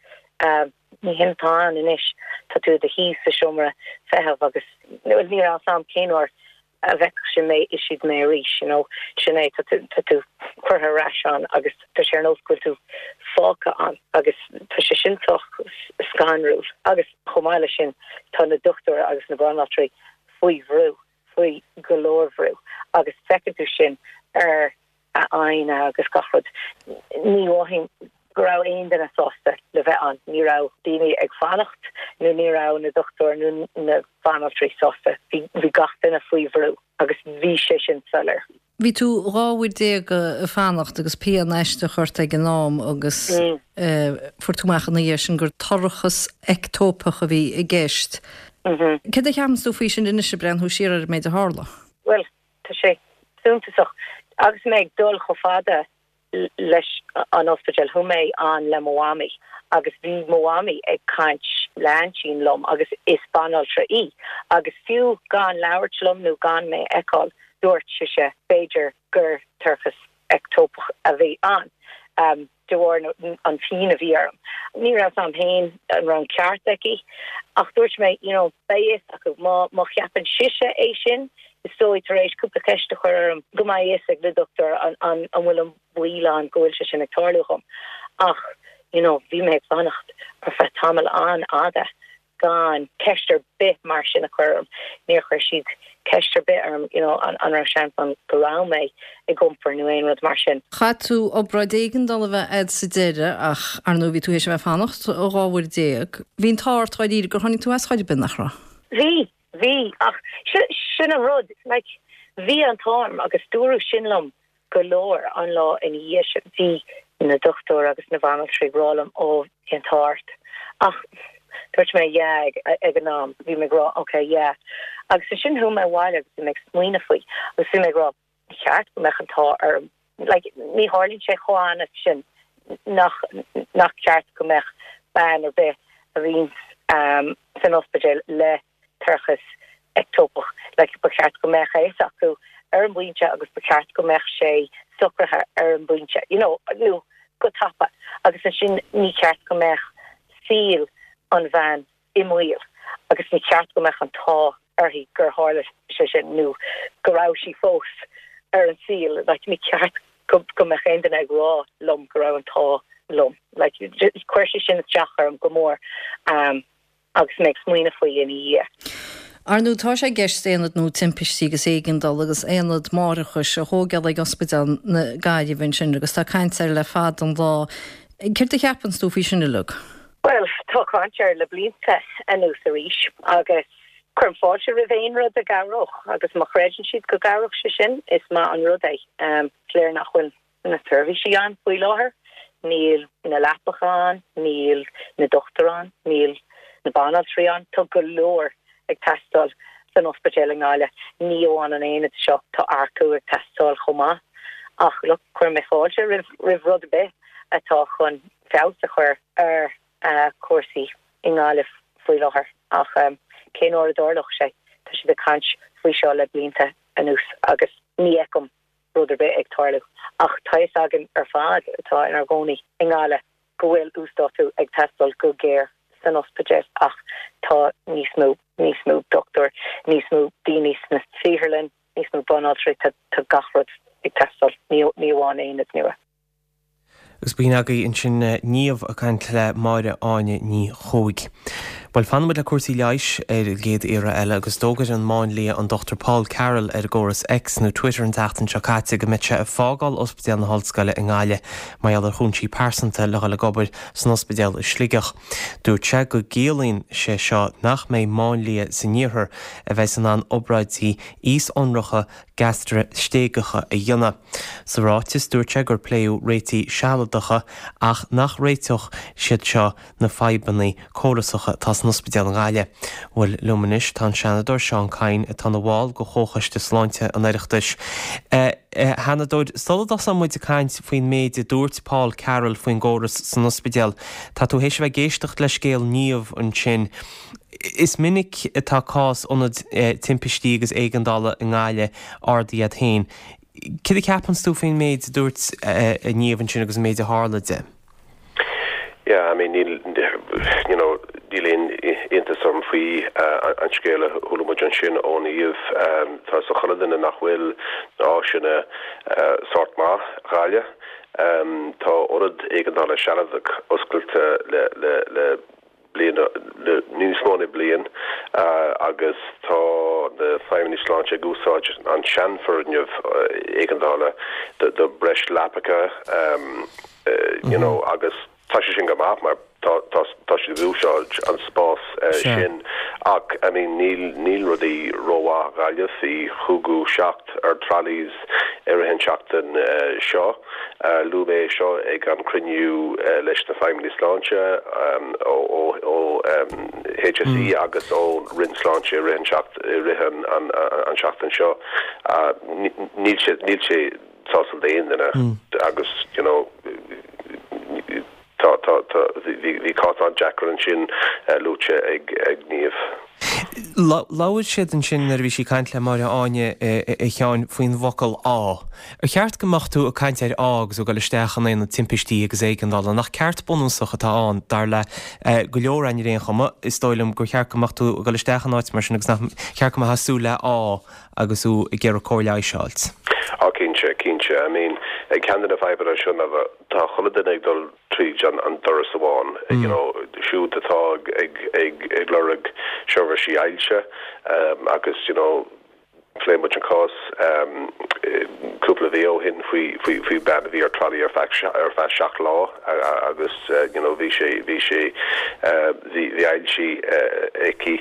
Um, ní hin atá ann anois tá tú i do shuí sa seomra feithimh agus níl a fhios agam cén uair a bhfeicfidh mé is siad mé arís, you know, sin é tá tú tá tú curtha ar ais ann agus tá sé ar nós go bhfuil tú fágtha ann agus tá sé sin sách scanrúil agus chomh maith leis sin tá na dochtúir agus na banaltraí faoi bhrú, faoi go leor brú agus feiceann tú sin ar a n-aghaidheanna agus gach rud. Ní mhothaím go raibh aon duine sásta le bheith ann, ní raibh daoine ag fanacht nó ní raibh na dochtúir nó na banaltraí sásta, bhí bhí gach duine faoi bhrú agus bhí sé sin soiléir. Bhí tú dhá uair déag ag fanacht agus pian aisteach ort ag an am agus fuair tú amach ina dhiaidh sin gur toircheas eictópach a bhí i gceist. Céard a cheapann tú faoi sin anois ag breathnú siar ar an méid a tharla? Bhuel, tá sé suntasach agus mé ag dul chomh fada leis an ospidéal chuaigh mé ann le mo mhamaí agus bhí mo mhamaí ag caint le haintín liom agus is banaltra í agus fiú gan labhairt liom nó gan mé a fheiceáil dúirt sise b'fhéidir gur toircheas ectópach a bhí ann um, de bharr an phian a bhí orm. Ní raibh a fhios a'm féin an raibh an ceart aici ach dúirt mé you know, beidh fhios acu má má cheapann sise é sin is dóigh tar éis cúpla ceist a chur orm go mbeidh fhios ag na dochtúir an an an bhfuil an baol ann go bhfuil sé sin ag tarlú dhom. Ach you know, bhí mé ag fanacht ar feadh tamall an-fhada gan ceist ar bith mar sin a chur orm. Níor chuir siad ceist ar bith orm you know, an, an raibh seans ann go raibh mé ag iompar nó aon rud mar sin. Chaith tú obráid éigeandála a bheith a'd sa deireadh ach ar ndóigh bhí tú théis a bheith ag fanacht dhá uair déag. Bhí an t-ádh ort dáiríre gur tháinig tú as chor ar bith, nach raibh? Bhí, bhí, ach sin an rud, like, bhí an t-ádh orm agus dúradh sin liom go leor an lá ina dhiaidh sin. Bhí na dochtúir agus na banaltraí ag rá liom ó bhí an t-ádh ort. Ach dúirt mé yeah ag, ag an am, bhí mé ag rá okay yeah. Agus ansin chuaigh mé abhaile agus bhí mé ag smaoineamh faoi agus bhí mé ag rá ní cheart go mbeadh an t-ádh orm. Like, ní tharlaíonn sé chomh annamh sin nach, nach ceart go mbeadh bean ar bith a bhíonn um, san ospidéal le toircheas ectópach. Like, ba cheart go mbeadh a fhios acu ar an bpointe agus ba cheart go mbeadh sé socraithe ar an bpointe, you know, nó go tapa. Agus ansin ní ceart go mbeadh saol an bhean i mbaol agus ní ceart go mbeadh an t-ádh uirthi gur tharla sé sin nó go raibh sí fós ar an saol. Like, ní ceart go, go mbeadh aon duine ag rá liom go raibh an t-ádh liom. Like, chuir sé sin isteach orm go mór um, agus mé ag smaoineamh faoi ina dhiaidh. Ar ndóigh tá sé i gceist aonad nua timpistí agus éigeandála agus aonad máithreachais a thógáil ag Ospidéal na Gaillimhe ansin agus tá caint air le fada an lá. Céard a cheapann tú faoi sin uilig? Bhuel, tá caint air le blianta anuas arís agus cuirim fáilte roimh aon rud a chabhródh agus má chreideann siad go gcabhródh sé sin, is maith an rud é. Is léir nach bhfuil na seirbhísí ann faoi láthair, níl na leapacha ann, níl na dochtúirí ann, níl na banaltraí ann, tá go leor ag teastáil san ospidéal i nGaillimh. Ní amháin an aonad seo, tá earcú ag teastáil chomh maith. Ach look, cuirim fáilte roimh roimh rud ar bith atá chun feabhas a chur ar cúrsaí i nGaillimh faoi láthair. Ach cén uair a dtarlódh sé? Tá siad ag caint faoi seo le blianta anuas agus ní fheicim rud ar bith ag tarlú. Ach tá fhios againn ar fad atá inár gcónaí i nGaillimh go bhfuil uasdátú ag teastáil go géar san ospidéal ach tá níos mó, níos mó dochtúir, níos mó daoine sna saotharlann, níos mó banaltraí, tá tá gach rud ag teastáil, ní ní amháin aonad nua. Agus b'in agaibh ansin Niamh ag caint le Máire Áine Ní Chuaig. Bhuel, fanfaimid le cúrsaí leighis ar an gcéad iarraidh eile agus d'fhógair an máinlia an Dochtúir Paul Carroll ar an gcóras X nó Twitter an tseachtain seo caite go mbeidh sé ag fágáil Ospidéal na hOllscoile i nGaillimh mar gheall ar chúinsí pearsanta le dhul ag obair san ospidéal i Sligeach. Dúirt sé go gciallaíonn sé seo nach mbeidh máinlia san iarthar a bheas in ann obráidí íos-ionracha gastraistéigeacha a dhéanamh. Sa ráiteas dúirt sé gur pléadh réitigh sealadacha ach nach réiteodh siad seo na fadhbanna córasacha atá san ospidéal i nGaillimh. Bhuel, liom anois tá an Seanadóir Seán Kyne atá ina bhall de Chomhchoiste Sláinte an Oireachtais. A Sheanadóir, sula dtosóidh muid ag caint faoin méid a dúirt Paul Carroll faoin gcóras san ospidéal, tá tú théis a bheith ag éisteacht le scéal Niamh ansin. Is minic atá cás ionad timpistí agus éigeandála i nGaillimh ardaithe agat féin. Céard a cheapann tú faoin méid a dúirt Niamh ansin agus an méid a tharla di? Yeah, I mean, níl, you know, níl aon iontas orm faoi an scéal a chuala muid ansin ó Niamh. Tá a fhios ag chuile dhuine nach bhfuil na áiseanna sórt maith Ghaillimh. Tá ionad éigeandála sealadach oscailte le le le bliain, le níos mó ná bliain agus tá na feidhmeannaigh sláinte ag úsáid an seanfhoirgneamh éigeandála do do breis leapacha, you know, agus tá sé sin go maith mar tá tá tá siad ag úsáid an spás sin ach I mean níl níl rudaí rómhaith Ghaillimh. Bhí cúig seacht ar trolleys i rith an tseachtain seo. Luaigh mé seo ag an cruinniú leis na feidhmeannaigh sláinte ó ó ó H S E agus ó Roinn Sláinte i rith an seacht i rith an an an seachtain seo. Níl sé níl sé sásúil d'aon duine agus you know tá tá tá bhí bhí cás an-deacair ansin luaite ag ag Niamh. Labhair siad ansin nuair a bhí sí ag caint le Máire Áine a Sheáin faoin bhfocal 'ádh'. Ar cheart go mbeadh tú ag caint ar ádh agus tú ag dul isteach in aonad timpistí agus éigeandála? Nach ceart bunúsach atá ann, dar le go leor againn ar aon chuma? Is dóigh liom gur cheart go mbeadh tú ag dul isteach in áit mar sin agus nach cheart go mbeifeá ag súil le ádh agus tú ag iarraidh cóir leighis a fháilt. Á cinnte, cinnte. I mean, ceann de na fadhbanna seo ná tá chuile duine ag dul tríd an an doras amháin, you know, siúd atá ag ag ag ag lorg seirbhísí ailse agus you know, phléigh muid an cás cúpla mhí ó shin faoi faoi faoi bean a bhí ar trolley ar feadh ar feadh seacht lá agus you know, bhí sé bhí sé bhí bhí ailse aici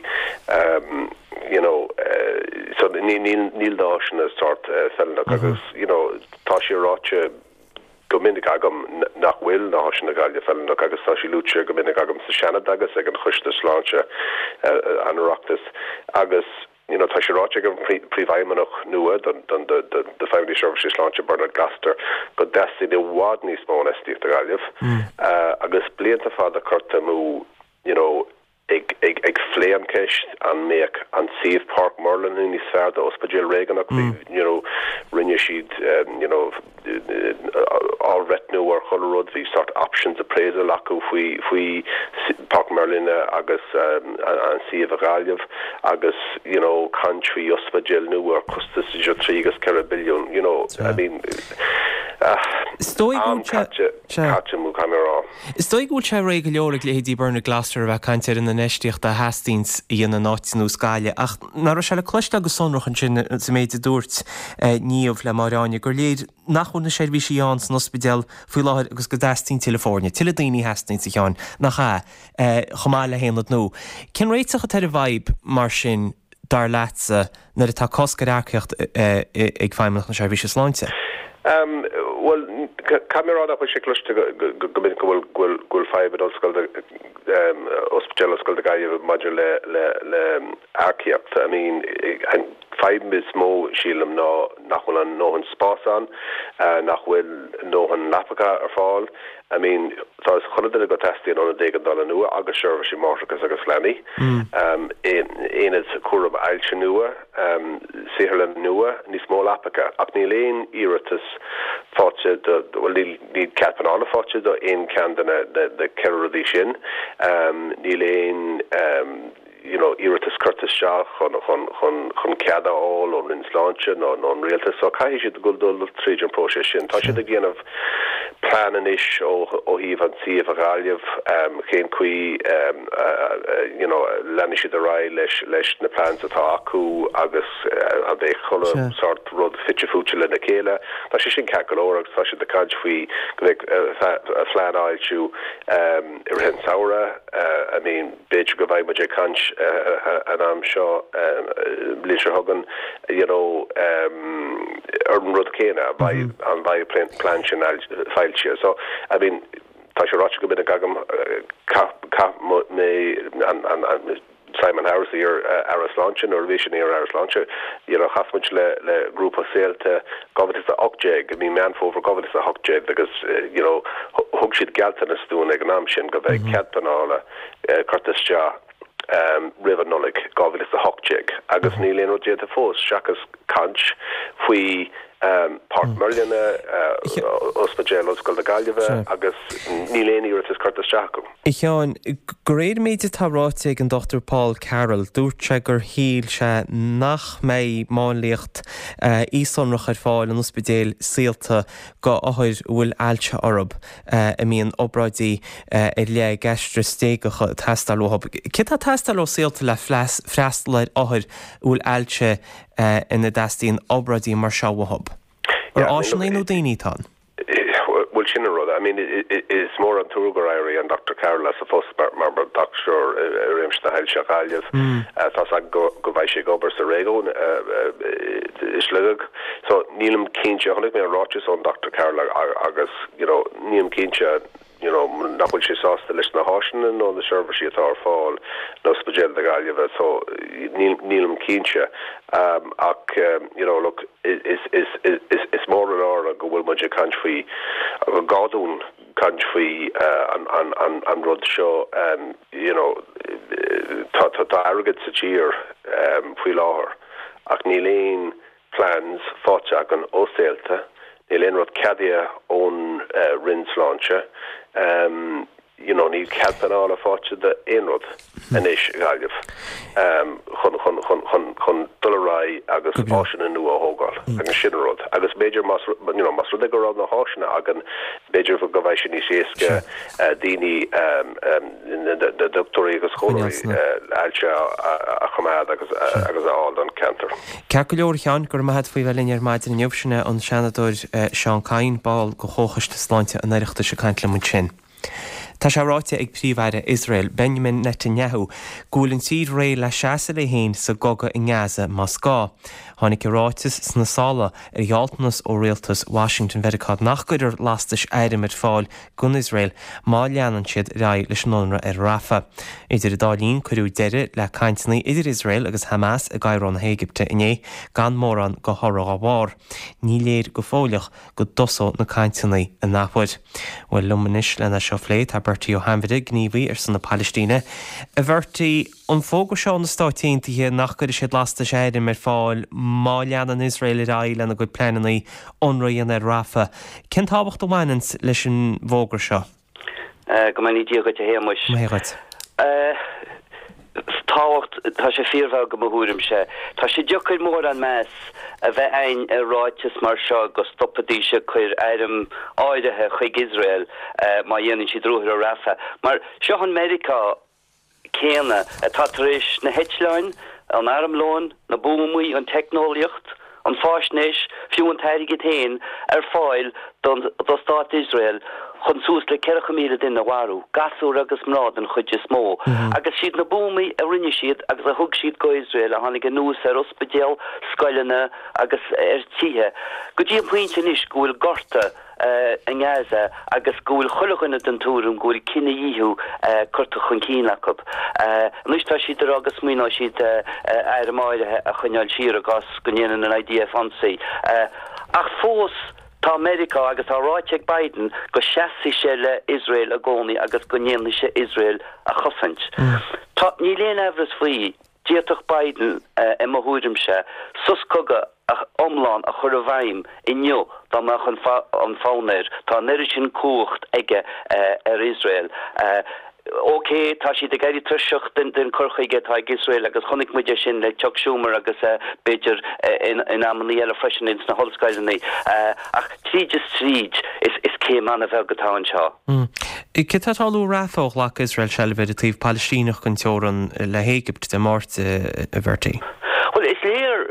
you know, so ní níl níl na háiseanna sort feiliúnach agus you know, tá sé ráite go minic agam nach bhfuil na háiseanna i nGaillimh feiliúnach agus tá sé luaite go minic agam sa Seanad agus ag an Choiste Sláinte an Oireachtais agus you know, tá sé ráite ag an príomhfheidhmeannach nua don don do Feidhmeannas Seirbhísí Sláinte Bernard Gloster go dteastaíonn i bhfad níos mó infheistíocht i Gaillimh agus blianta fada curtha amú you know, ag ag ag phlé an ceist an mbeadh an suíomh Páirc Merlin níos fearr do ospidéal réigiúnach bhí you know rinne siad you know athbhreithniú ar chuile rud bhí sort options appraisal acu faoi faoi Páirc Merlin agus an suíomh i Gaillimh agus you know caint faoi ospidéal nua ar costas idir trí agus ceithre billiún you know I mean Is dóigh go am caite caite amú caithfidh mé a rá. Is dóigh go bhfuil sé réidh go leor ag leithéidí Bernard Gloster a bheith ag caint ar an infheistíocht a theastaíonn a dhéanamh in áit ar nós Gaillimh ach nach raibh sé le cloisteáil go sonrach ansin sa méid a dúirt Niamh le Máire Áine gur léir nach bhfuil na seirbhísí ann san ospidéal faoi láthair agus go dteastaíonn tuilleadh foirne, tuilleadh daoine a theastaíonn a Sheáin, nach ea, chomh maith le haonad nua. Cén réiteach atá ar an bhfadhb mar sin dar leatsa nuair atá cosc ar earcaíocht ag Feidhmeannacht na Seirbhíse Sláinte? Bhuel, caithfidh mé a rá nach bhfuil sé cloiste go minic go bhfuil go bhfuil fadhb in Ollscoil Ospidéal Ollscoile na Gaillimhe maidir le le le earcaíocht. I mean, an fadhb is mó sílim ná nach bhfuil an ndóthain spás ann, nach bhfuil ndóthain leapacha ar fáil. I mean, tá a fhios ag chuile duine go dteastaíonn ionad éigeandála nua agus seirbhísí máithreachais agus leanaí, aonad cúram ailse nua, saotharlann nua, níos mó leapacha, ach níl aon iarratas faighte do, bhuel níl níl cead pleanála faighte do aon cheann de na na ceithre rudaí sin. Níl aon you know iarratas curtha isteach chun chun chun chun cead a fháil ón Roinn Sláinte nó nó an Rialtas so caithfidh siad dul dul tríd an próiseas sin. Tá siad ag déanamh plean anois ó ó thaobh an suíomh i Gaillimh cén chaoi you know leanfaidh siad ar aghaidh leis leis na plans atá acu agus an mbeidh chuile sort rud fite fuaite lena chéile. Tá sé sin ceart go leor agus tá siad ag caint faoi go mbeidh phlean á fhoilsiú i rith an samhradh. I mean b'fhéidir go mbeidh muid ag caint an am seo bliain seo chugainn you know ar an rud céanna an mbeidh an plean sin foilsithe. So I mean tá sé ráite go minic agam chaith mé an an Simon Harris iar-Aire Sláinte nuair a bhí sé ina iar-Aire Sláinte you know chas muid le le grúpa Saolta dhá mhíle is a hocht déag i mí Meán Fómhair dhá mhíle is a hocht déag agus you know thug siad gealltanas dúinn ag an am sin go mbeidh cead pleanála curtha isteach roimh an Nollaig dhá mhíle is a hocht déag agus níl aon rud déanta fós seachas caint faoi Páirc Merlin, Ospidéal Ollscoil na Gaillimhe agus níl aon iarratas curtha isteach acu. A Sheáin, de réir an méid atá ráite ag an Dochtúir Paul Carroll, dúirt sé gur shíl sé nach mbeidh máinliacht aoisshonrach ar fáil in ospidéil Saolta go othair a bhfuil ailse orthu a mbíonn obráidí ar leith gaistriostéigeacha ag teastáil uathu. Céard atá ag teastáil ó Saolta le freastal ar othair a bhfuil ailse ina dteastaíonn obráidí mar seo uathu? Ar áiseanna nó daoine atá ann? Bhuel, sin an rud. I mean, is mór an trua gur éirigh an Dochtúir Carroll as a phost mar mar dochtúir i réimse na hailse i Gaillimh. Tá 's agam go go mbeidh sé ag obair sa réigiún i Sligeach. So nílim cinnte, chonaic mé an ráiteas ón Dochtúir Carroll agus, you know, nílim cinnte you know, nach bhfuil sé sásta leis na háiseanna nó na seirbhísí atá ar fáil in Ospidéal na Gaillimhe so nílim cinnte um, ach um, you know, look, is, is, is, is, is mór an náire go bhfuil muid ag caint faoi gá dúinn caint faoi uh, an, an, an, an rud seo um, you know, tá tá tá airgead sa tír um, faoi láthair ach níl aon plans faighte againn ó Saolta níl aon rud ceadaithe ón uh, Roinn Sláinte um, you know, níl cead pleanála faighte d'aon rud anois i Gaillimh um, chun chun chun chun chun dul ar aghaidh agus áiseanna nua a thógáil agus sin an rud agus b'fhéidir más you know, más rud é go raibh na háiseanna againn b'fhéidir go mbeadh sé níos éasca uh, daoine um, um, na dochtúirí agus scoláirí uh, ailse a, a choimeád agus uh, agus a fháil don ceantar. Ceart go leor a Sheáin, go raibh maith agat faoi bheith linn ar maidin inniu sin é an Seanadóir Seán Kyne, ball de Chomhchoiste Sláinte an Oireachtais ag caint liom ansin. Tá sé ráite ag Príomh-Aire Iosrael Benjamin Netanyahu go bhfuil an tír réidh le seasamh léi féin sa gcogadh i nGaza más gá. Tháinig an ráiteas sna sála ar ghealltanas ó rialtas Washington Mheiriceá nach gcuirfear lastais airm ar fáil don Iosrael má leanann siad ar aghaidh leis an ionradh ar Rafah. Idir an dá linn cuireadh deireadh le cainteanna idir Iosrael agus Hamas i gCairo na hÉigipte inné gan mórán de thoradh dá bharr. Ní léir go fóill go dtosóidh na cainteanna an athuair. Bhuel liom anois lena seo a phlé tá Bertie Ó hAinmhire, gníomhaí ar son na Palaistíne. A Bhertie, an fógra seo ó na Stáit Aontaithe nach gcuirfidh siad lastais airm ar fáil má leanann Iosrael ar aghaidh lena gcuid pleananna ionradh a dhéanamh ar Rafah. Cén tábhacht a bhaineann leis an bhfógra seo? Go mbeannaí Dia dhuit a Shéamuis. Maith dhuit. Tábhacht, tá sé fíorbheag i mo thuairimse. Tá sé deacair mórán meas a bheith againn ar ráiteas mar seo go stopfaidís ag cur airm áirithe chuig Iosrael má dhéanann siad ruathar ar Rafah. Mar seo an Meiriceá céanna atá tar éis na heitleáin, an armlón, na buamaí, an teicneolaíocht, an fáisnéis, fiú an t-airgead féin, ar fáil don do stát Iosrael chun suas le ceathracha míle duine a mharú, gasúir agus mná den chuid is mó. Agus siad na buamaí a rinne siad agus a thug siad go Iosrael a tháinig anuas ar ospidéil, scoileanna agus ar tithe. Go dtí an pointe anois go bhfuil gorta i nGaza agus go bhfuil chuile dhuine den tuairim go bhfuil cinedhíothú curtha chun cinn acu. Anois tá siad ag rá go smaoineoidh siad airm áirithe a choinneáil siar i gcás go ndéanann an I D F ionsaí. Ach fós tá Meiriceá agus tá ráite ag Biden go seasfaidh sé le Iosrael i gcónaí agus go ndéanfaidh sé Iosrael a chosaint. Tá, níl aon amhras faoi, d'fhéadfadh Biden, i mo thuairimse, sos cogaidh iomlán a chur i bhfeidhm inniu dá mbeadh an fonn air. Tá an oiread sin cumhacht aige ar Iosrael. Ok, tá siad ag éirí tuirseach den chur chuige atá ag Iosrael agus chonaic muid é sin le Chuck Schumer agus b'fhéidir in amanna eile freisin ins na hollscoileanna. Ach tríd is tríd, is céim an-bheag atá anseo. Cad tá ag tarlú i Rafah ó ghlac Iosrael seilbh ar an taobh Palaistíneach den teorainn le hÉigipt Dé Máirt, a Bhertie? Bhuel, is léir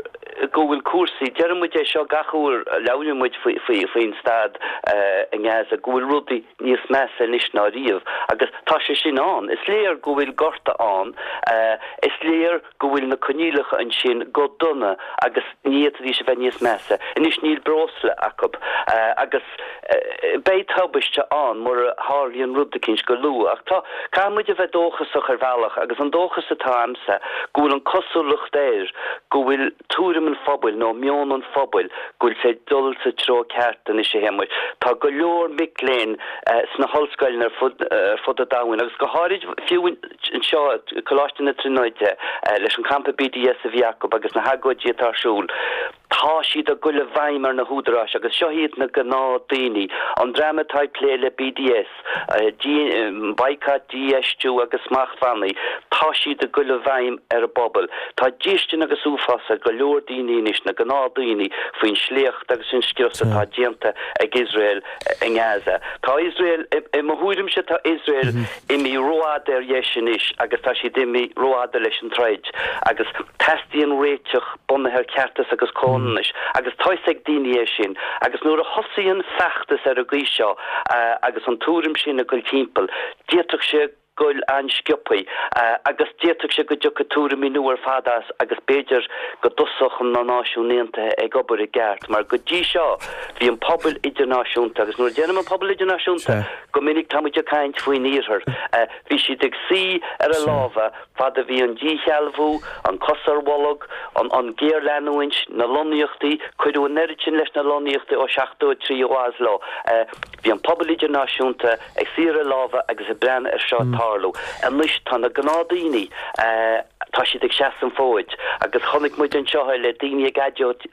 go bhfuil cúrsaí, deireann muid é seo gach uair a labhraíonn muid faoin staid i nGaza, go bhfuil rudaí níos measa anois ná riamh agus tá sé sin ann. Is léir go bhfuil gorta ann, is léir go bhfuil na coinníollacha ansin go dona agus ní fhéadfaidís a bheith níos measa. Anois níl breosla acu agus beidh tubaiste ann mura tharlaíonn rud eicínt go luath. Ach tá, caithfidh muid a bheith dóchasach ar bhealach agus an dóchas atá a'msa go bhfuil an cosúlacht air go bhfuil tuairim an phobail nó meon an phobail go bhfuil sé ag dul sa treo ceart anois a Shéamuis. Tá go leor mic léinn sna hollscoileanna ar fud ar fud an domhain agus go háirid fiú anseo Coláiste na Tríonóide leis an campa B D S a bhí acu agus na hagóidí atá ar siúl. Tá siad ag dul i bhfeidhm ar na húdaráis agus seo iad na gnáthdaoine, an dream atá ag plé le B D S, baghcat, dífheistiú agus smachtbhannaí, tá siad ag dul i bhfeidhm ar an bpobal. Tá déistin agus uafás ar go leor daoine anois, na gnáthdaoine, faoin sléacht agus an scrios atá déanta ag Iosrael i nGaza. Tá Iosrael, i mo thuairimse, tá Iosrael imithe rófhada ar dheis anois agus tá siad imithe rófhada leis an troid agus teastaíonn réiteach bunaithe ar cheartas agus comhionannas agus tá fhios ag daoine é sin agus nuair a thosaíonn feachtas ar an gcaoi seo agus an tuairim sin ag dul timpeall, d'fhéadfadh sé goil an-sciobthaí agus d'fhéadfadh sé go dtiocfadh tuairimí nua ar fad as agus b'fhéidir go dtosódh na Náisiúin Aontaithe ag obair i gceart mar go dtí seo bhí an pobal idirnáisiúnta agus nuair a deirim an pobal idirnáisiúnta go minic tá muid ag caint faoin iarthar bhí siad ag suí ar a lámha fad a bhí an díshealbhú, an cos ar bholg, an an géarleanúint, na lonnaíochtaí, cuireadh an oiread sin leis na lonnaíochtaí ó seachtó a trí ó Oslo. Bhí an pobal idirnáisiúnta ag suí ar a lámha agus ag breathnú ar seo ag tarlú. Anois tá na gnáthdaoine, tá siad ag seasamh an fhóid agus chonaic muid anseo é le daoine ag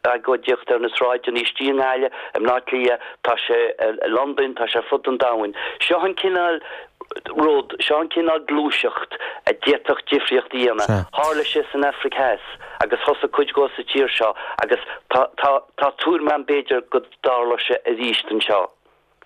agóidíocht ar na sráideanna istigh i nGaillimh, i mBleá Cliath, tá sé i Londain, tá sé ar fud an domhain. Seo an cineál rud, seo an cineál gluaiseacht a d'fhéadfadh difríocht a dhéanamh. Tharla sé san Afraic Theas agus thosaigh cuid dhó sa tír seo agus tá, tá, tá tuairim agam b'fhéidir go dtarlóidh sé arís anseo.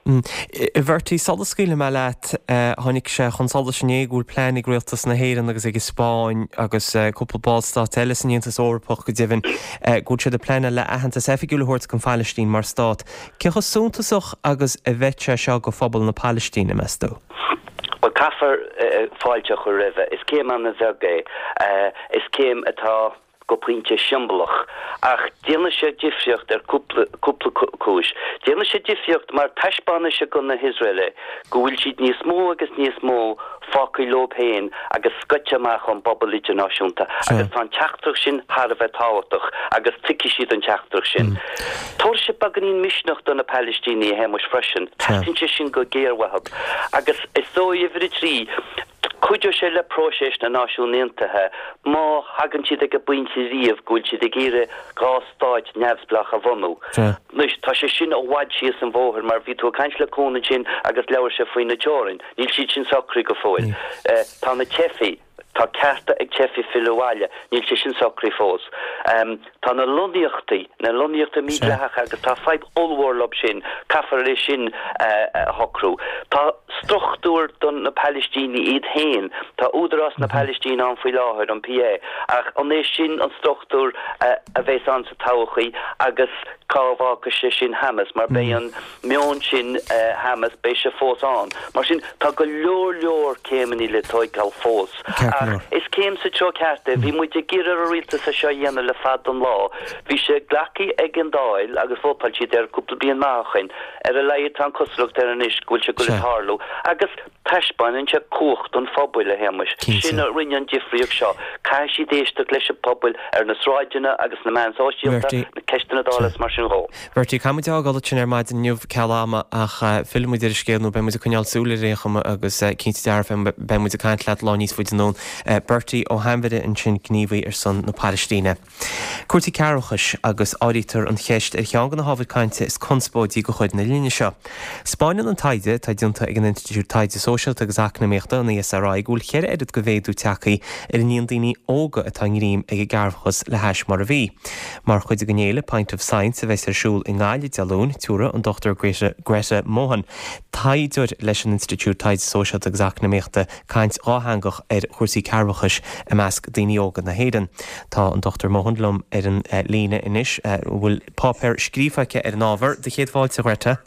A Bhertie, sula scaoilfidh mé leat, tháinig sé chun solais inné go bhfuil plean ag rialtas na hÉireann agus ag an Spáinn agus cúpla ballstát eile san Aontas Eorpach go deimhin, go bhfuil siad ag pleanáil le aitheantas oifigiúil a thabhairt don Phalaistín mar stát. Cé chomh suntasach agus a bheidh sé seo do phobal na Palaistíne, meas tú? Bhuel, caithfear fáilte a chur roimhe. Is céim an-bheag é. Is céim atá go pointe siombalach. Ach déanfaidh sé difríocht ar cúpla cúis. Déanfaidh sé difríocht mar taispeánfaidh sé do na hIosraelaigh go bhfuil siad níos mó agus níos mó fágtha leo féin agus scoite amach ón bpobal idirnáisiúnta agus tá an teachtaireacht sin thar a bheith tábhachtach agus tuigfidh siad an teachtaireacht sin. Tabharfaidh sé beagáinín misneach do na Palaistínigh, a Shéamuis, freisin. Teastaíonn sé sin go géar uathu. Agus is dóigh, uimhir a trí, cuideoidh sé le próiseas na Náisiún Aontaithe má thagann siad ag an bpointe riamh go bhfuil siad ag iarraidh dhá stáit neamhspleách a bhunú. Anois, tá sé sin i bhfad síos an bhóthar mar bhí tú ag caint le Cuan ansin agus labhair sé faoi na teorainn. Níl siad sin socraithe go fóill. Tá na teifigh, tá cearta ag teifigh filleadh abhaile, níl sé sin socraithe fós. Tá na lonnaíochtaí, na lonnaíochtaí mídhleathacha agus tá fadhb ollmhór leo sin, caithfear é sin a shocrú. Tá struchtúr do na Palaistínigh iad féin, tá Údarás na Palaistíne ann faoi láthair, an PA, ach an é sin an struchtúr a bheas ann sa todhchaí agus cá bhfágfaidh sé sin Hamas mar beidh an meon sin Hamas, beidh sé fós ann. Mar sin, tá go leor leor céimeanna le tóigeáil fós. Ach is céim sa treo ceart é. Bhí muid ag iarraidh ar an rialtas é seo a dhéanamh le fada an lá. Bhí sé glactha ag an Dáil agus vótáil siad air cúpla bliain maith ó shin. Ar a laghad tá an cosúlacht air anois go bhfuil sé ag goil ag tarlú. Agus taispeánann sé cumhacht an phobail, a Shéamais. Sin a rinne an difríocht seo. Caithfidh siad éisteacht leis an bpobal ar na sráideanna agus na meáin sóisialta, na ceisteanna Dála is mar sin dhó. Bertie, caithfidh muid a fhágáil ansin ar maidin inniu ceal ama ach fillfidh muid ar an scéal nó beidh muid ag coinneáil súil air ar aon chuma agus cinnte dearfa beidh muid ag caint leat lá níos faide anonn. Bertie Ó hAinmhire ansin, gníomhaí ar son na Palaistíne. Cúrsaí cearrbhachais agus áirítear an cheist ar cheann de na hábhair cainte is conspóidí de chuid na linne seo. 'Spáineann an taighde atá déanta ag an Institiúid Taighde Sóisialta agus Eacnamaíochta, an ESRI, go bhfuil ceithre oiread de mhéadú tagtha ar an líon daoine óga atá i ngreim ag an gcearrbhachas le hais mar a bhí. Mar chuid den fhéile Pint of Science a bheas ar siúl i nGaillimh Dé Luain, tabharfaidh an Dochtúir Greta Mohan, taighdeoir leis an Institiúid Taighde Sóisialta agus Eacnamaíochta, caint dhátheangach ar chúrsaí cearrbhachais i measc daoine óga na hÉireann. Tá an Dochtúir Mohan liom ar an líne anois, a bhfuil páipéar scríofa aici ar an ábhar. Do chéad fáilte, a Ghreta.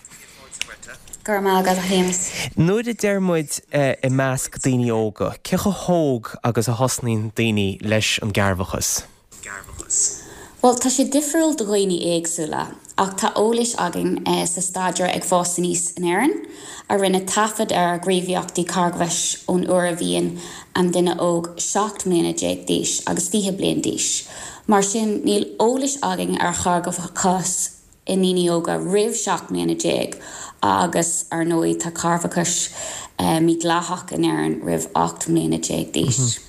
Go raibh maith agat, a Shéamais. Nuair a deir muid i measc daoine óga, cé chomh hóg agus a thosnaíonn daoine leis an gcearrbhachas? Bhuel, tá sé difriúil do dhaoine éagsúla, ach tá eolais againn sa staidéar Ag Fás Aníos in Éirinn, a rinne taifead ar ghníomhaíochtaí cearrbhachais ón uair a bhíonn an duine óg seacht mbliana déag d'aois agus fiche bliain d'aois. Mar sin, níl eolais againn ar chearrbhachas i ndaoine óga roimh seacht mbliana déag agus, ar ndóigh, tá cearrbhachas mídhleathach in Éirinn roimh ocht mbliana déag d'aois.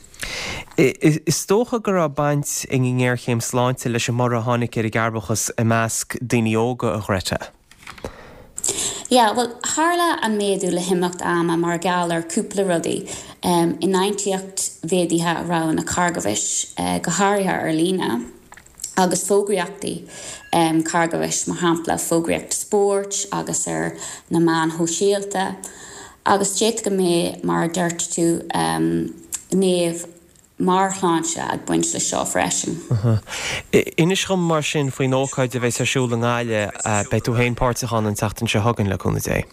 Is dócha go raibh baint ag an ngéarchéim sláinte leis an mborradh a tháinig ar an gcearrbhachas i measc daoine óga, a Ghreta. Yeah, bhuel, tharla an méadú le himeacht ama mar gheall ar cúpla rudaí, infhaighteacht mhéadaithe roghanna cearrbhachais, go háirithe ar líne, agus fógraíochtaí cearrbhachais, mar shampla fógraíocht spóirt agus ar na meáin shóisialta. Agus d'fhéadfadh go mbeadh, mar a dúirt tú, gnéithe meabhairshláinte ag baint leis seo freisin. Inis dhom mar sin faoin ócáid a bheas ar siúl i nGaillimh. Beidh tú féin páirteach ann an tseachtain seo chugainn, le cúnamh Dé.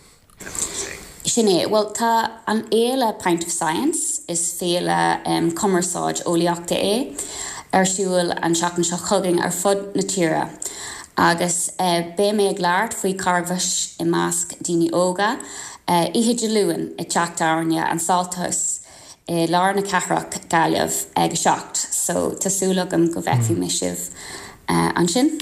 Sin é. Bhuel, tá an fhéile Pint of Science, is féile cumarsáid eolaíochta é, ar siúl an tseachtain seo chugainn ar fud na tíre agus beidh mé ag labhairt faoi charghais i measc daoine óga oíche Dé Luain i dteach tábhairne an Salt House i lár na cathrach, Gaillimh, ag a seacht. So tá súil agam go bhfeicfidh mé sibh ansin.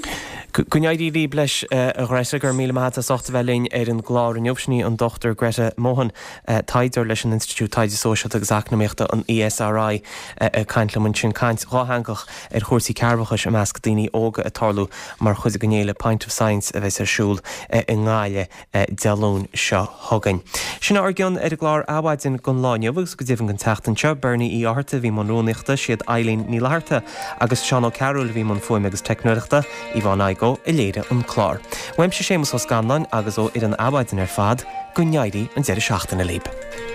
Go n-éirí libh leis, a Ghreta. Go raibh míle maith agat as ucht a bheith linn ar an gclár inniu. Sin í an Dochtúir Greta Mohan, taighdeoir leis an Institiúid Taighde Sóisialta agus Eacnamaíochta, an ESRI, ag caint liom ansin. Caint dhátheangach ar chúrsaí cearrbhachais i measc daoine óga ag tarlú mar chuid den fhéile Pint of Science a bheas ar siúl i nGaillimh Dé Luain seo chugainn. Sin ár gcion ar an gclár Adhmhaidin don lá inniu agus go deimhin don tseachtain seo. Bernie Uí Fhátharta a bhí i mbun rúnaíochta, siad Eileen Ní Fhlatharta agus Seán Ó Cearúil a bhí i mbun fuaime agus teicneoireachta, Yvonne Igoe a léirigh an clár. Uaimse Séamus Ó Scanláin agus ó fhoireann Adhmhaidin ar fad, go n-éirí an deireadh seachtaine libh.